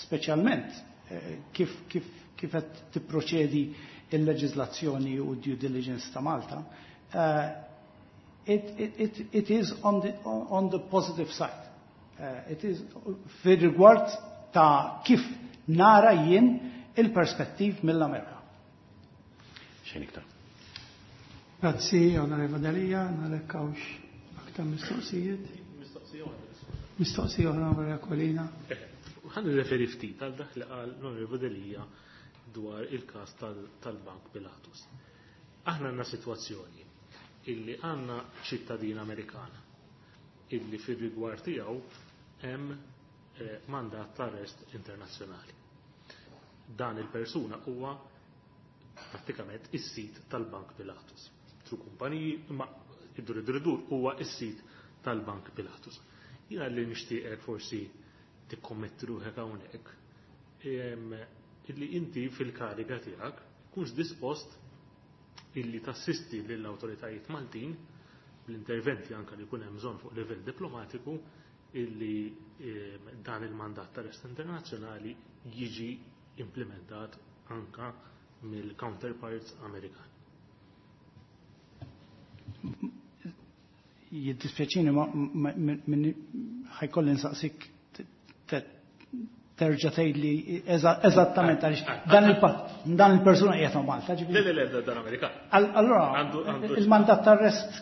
speċjalment eh, kif kif kif qed tipproċedi il-leġiżlazzjoni u due diligence ta' Malta, it, it, it is on the, on the positive side. Uh, it is fir-rigward ta' kif nara jien il-perspettiv mill-Amerika. Xejn iktar. Grazzi, Onorevole Delia, nara jekk hawnx aktar mistoqsijiet. Mistoqsija oħra, Onorevole Aquilina. Ħa nirreferi ftit għal dak li qal l-Onorevole Delia dwar il-każ tal-Bank Pilatus. Aħna għandna sitwazzjoni illi għandna ċittadin Amerikan illi fir-rigward tiegħu hemm eh, mandat ta' arrest internazzjonali. Dan il-persuna huwa prattikament is-sid tal-Bank Pilatus. Tru kumpaniji, imma iddur idur idur huwa is-sid tal-Bank Pilatus. Jiena li nixtieqek forsi tikkommetti ruħek hawnhekk illi inti fil-kariga tiegħek kunx dispost illi tassisti lill-awtoritajiet Maltin bl-interventi anka li jkun hemm bżonn fuq livell diplomatiku illi dan il-mandat ta' arrest internazzjonali jiġi implementat anka mill-counterparts Amerikani. Jiddispjaċini, ma ħa jkolli nsaqsik terġa' tgħidli eżattament għaliex dan il-persuna qiegħed Malta. Le, le, le, dan Amerikan. Allora, il-mandat ta'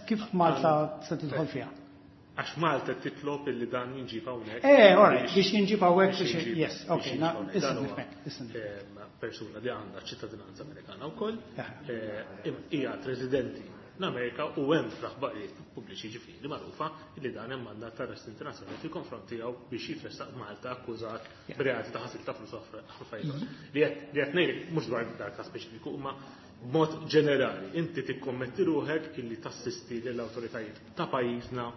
kif Malta se tidħol fiha? Għax Malta titlob illi dan jinġib hawnhekk. Eh, alright, biex jinġib hawnhekk biex, yes, ok, issa nifhmek, issa Persuna li għandha ċittadinanza Amerikana wkoll, hija residenti l-Amerika u hemm fl-aħbarijiet pubbliċi, ġifieri magħrufa li dan hemm mandat ta' arrest internazzjonali fil-konfront tiegħu biex jitressaq Malta akkużat b'reati ta' ħasil ta' flus affarijiet. Li qed ngħidlek mhux dwar dak ta' speċifiku, imma b'mod ġenerali inti tikkommetti ruħek illi tassisti lill-awtoritajiet ta' pajjiżna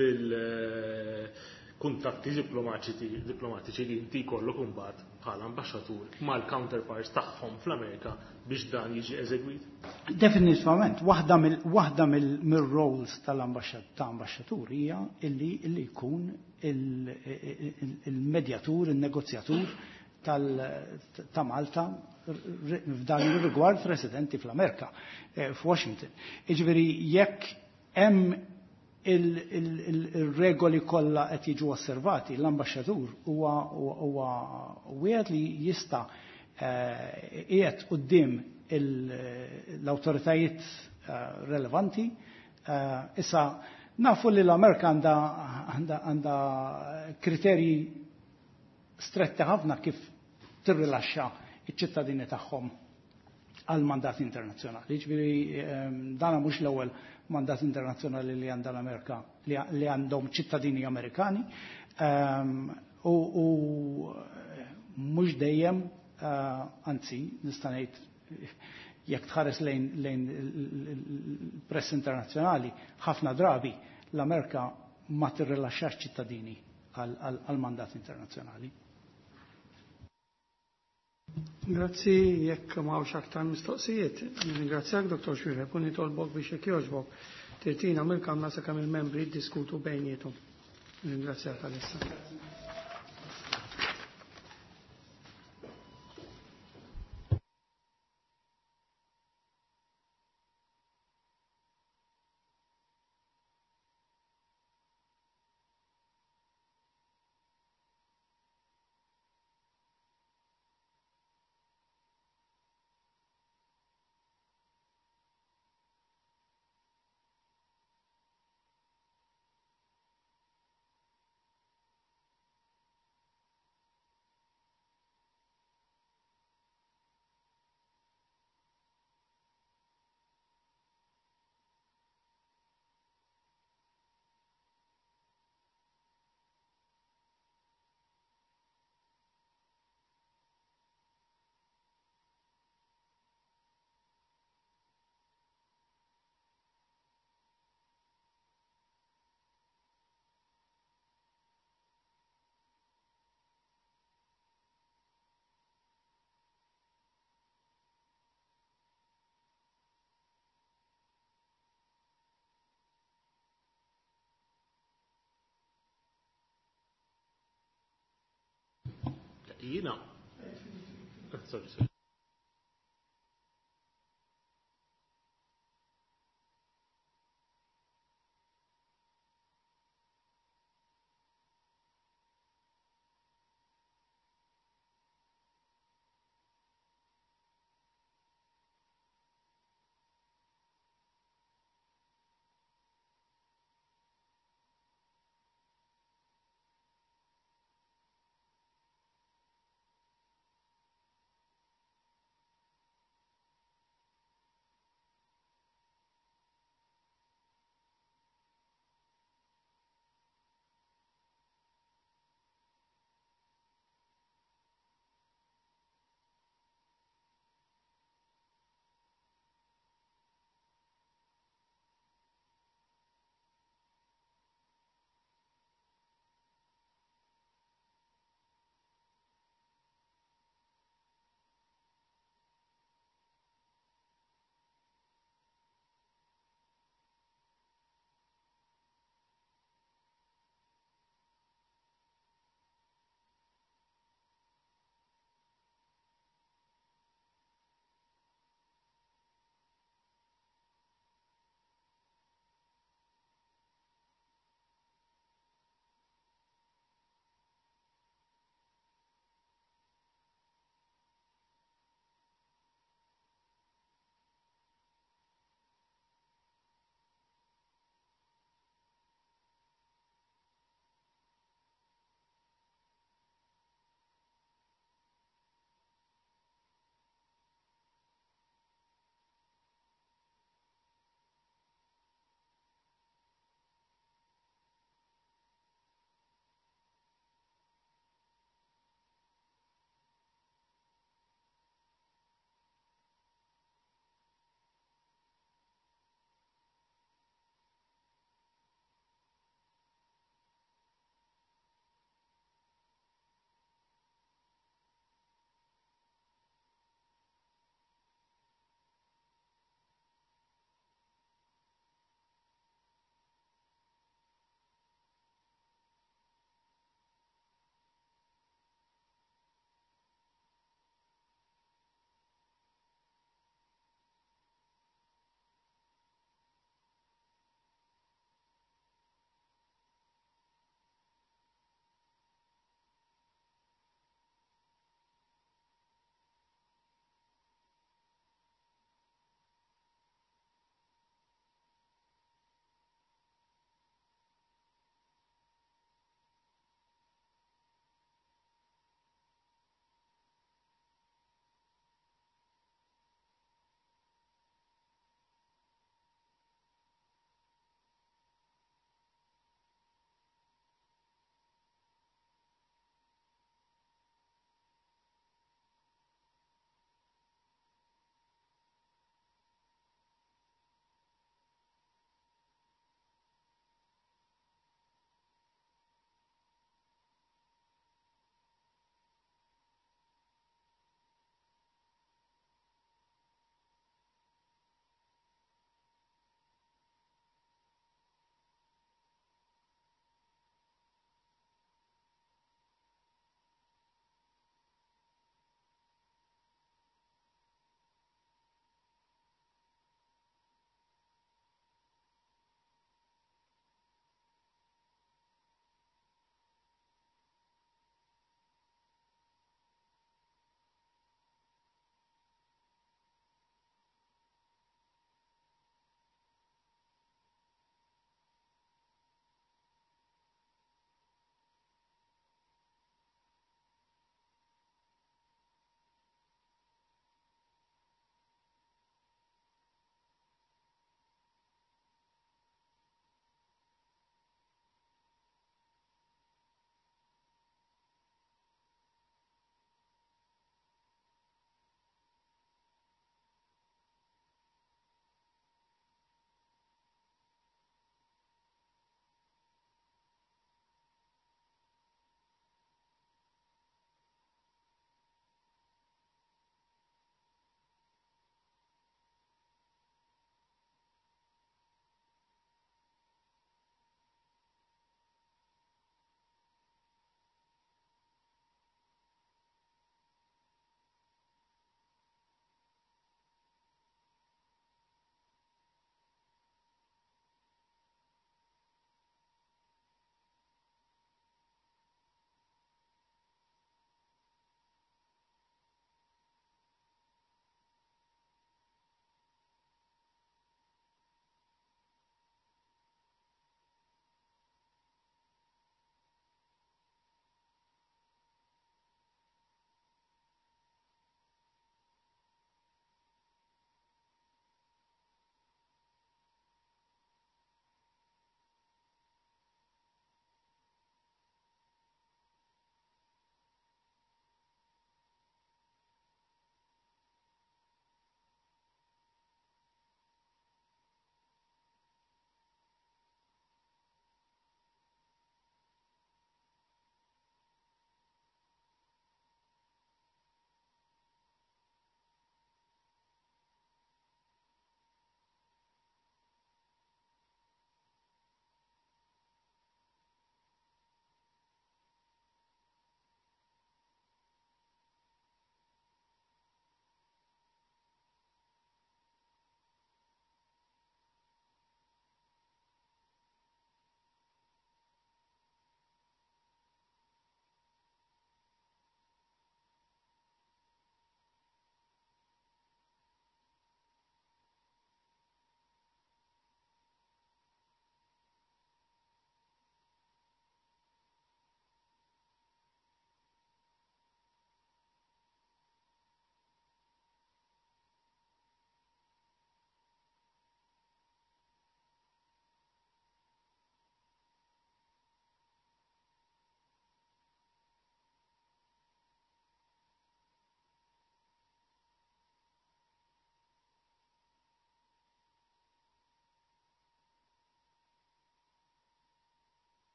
bil-kuntatti diplomatiċi diplomatiċi li inti jkollok imbagħad bħala ambaxxatur mal-counterparts tagħhom fl-Amerika biex dan jiġi eżegwit? Definitivament, waħda mill-waħda mill-roles tal-ambaxxatur hija illi illi jkun il-medjatur, il-negozjatur ta' Malta f'dan ir-rigward residenti fl-Amerika, eh, f'Washington. Jiġifieri jekk hemm il-regoli kollha qed jiġu osservati, l-ambaxxatur huwa huwa wieħed li jista' eh, qiegħed quddiem l-awtoritajiet eh, relevanti. Eh, issa nafu li l-Amerika għandha kriterji stretti ħafna kif tirrilaxxa iċ-ċittadini tagħhom għal mandat internazzjonali. Ġifieri dana mhux l-ewwel mandat internazzjonali li għandha l-Amerika, li għandhom ċittadini Amerikani u mhux dejjem, eh, anzi, nista' ngħid jekk tħares lejn lejn il-press internazzjonali, ħafna drabi l-Amerika ma tirrilaxxax ċittadini għal mandat internazzjonali. Grazzi, jekk m'hawnx aktar mistoqsijiet. Ringrazzjak, Dottor Xuereb, u nitolbok biex jekk jogħġbok tirtira mill-kamra sakemm il-membri jiddiskutu bejniethom. Ringrazzjak għalissa. Jiena. Sorry, sorry.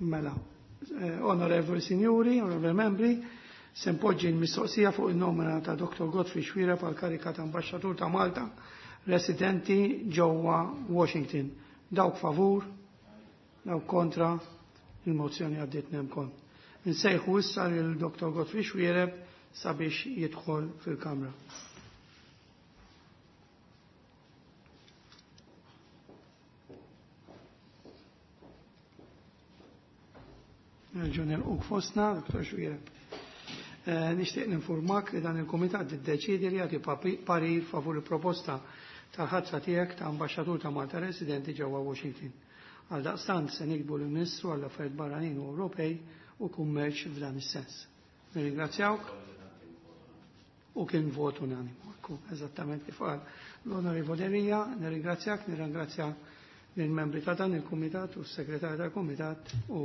Mela, eh, onorevoli signori, onorevoli membri, se npoġġi l-mistoqsija fuq il-nomina ta' Dottor Godfrey Xuereb għal karika ta' ambasċatur ta' Malta residenti ġewwa Washington. Dawk favur, dawk kontra, il-mozzjoni għaddiet nemkon. Nsejħu issa lil Dottor Godfrey Xuereb sabiex jidħol fil-Kamra. Nerġgħu nilquk fostna, Dottor Xuereb. Eh, nixtieq ninformak li dan il-Kumitat iddeċiedi li jagħti parir favur il-proposta tal-ħatra tiegħek ta' ambaxxatur ta' Malta residenti ġewwa Washington. Għal daqstant se nikbu l-Ministru għall affarijiet Barranin u Ewropej u kummerċ f'dan is-sens. Nirringrazzjawk u kien vot unanimu. Eżattament kif qal l-Onorevoli Rija, nirringrazzjak, nirringrazzja lill-membri ta' dan il-Kumitat u s-Segretarju tal-Kumitat u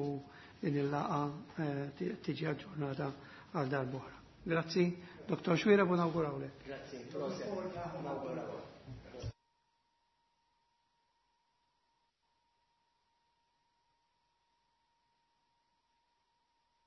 din il-laqa eh, tiġi aġġornata għal darb'oħra. Grazzi, Dottor Xuereb, u nawgurawlek. Grazzi, proset.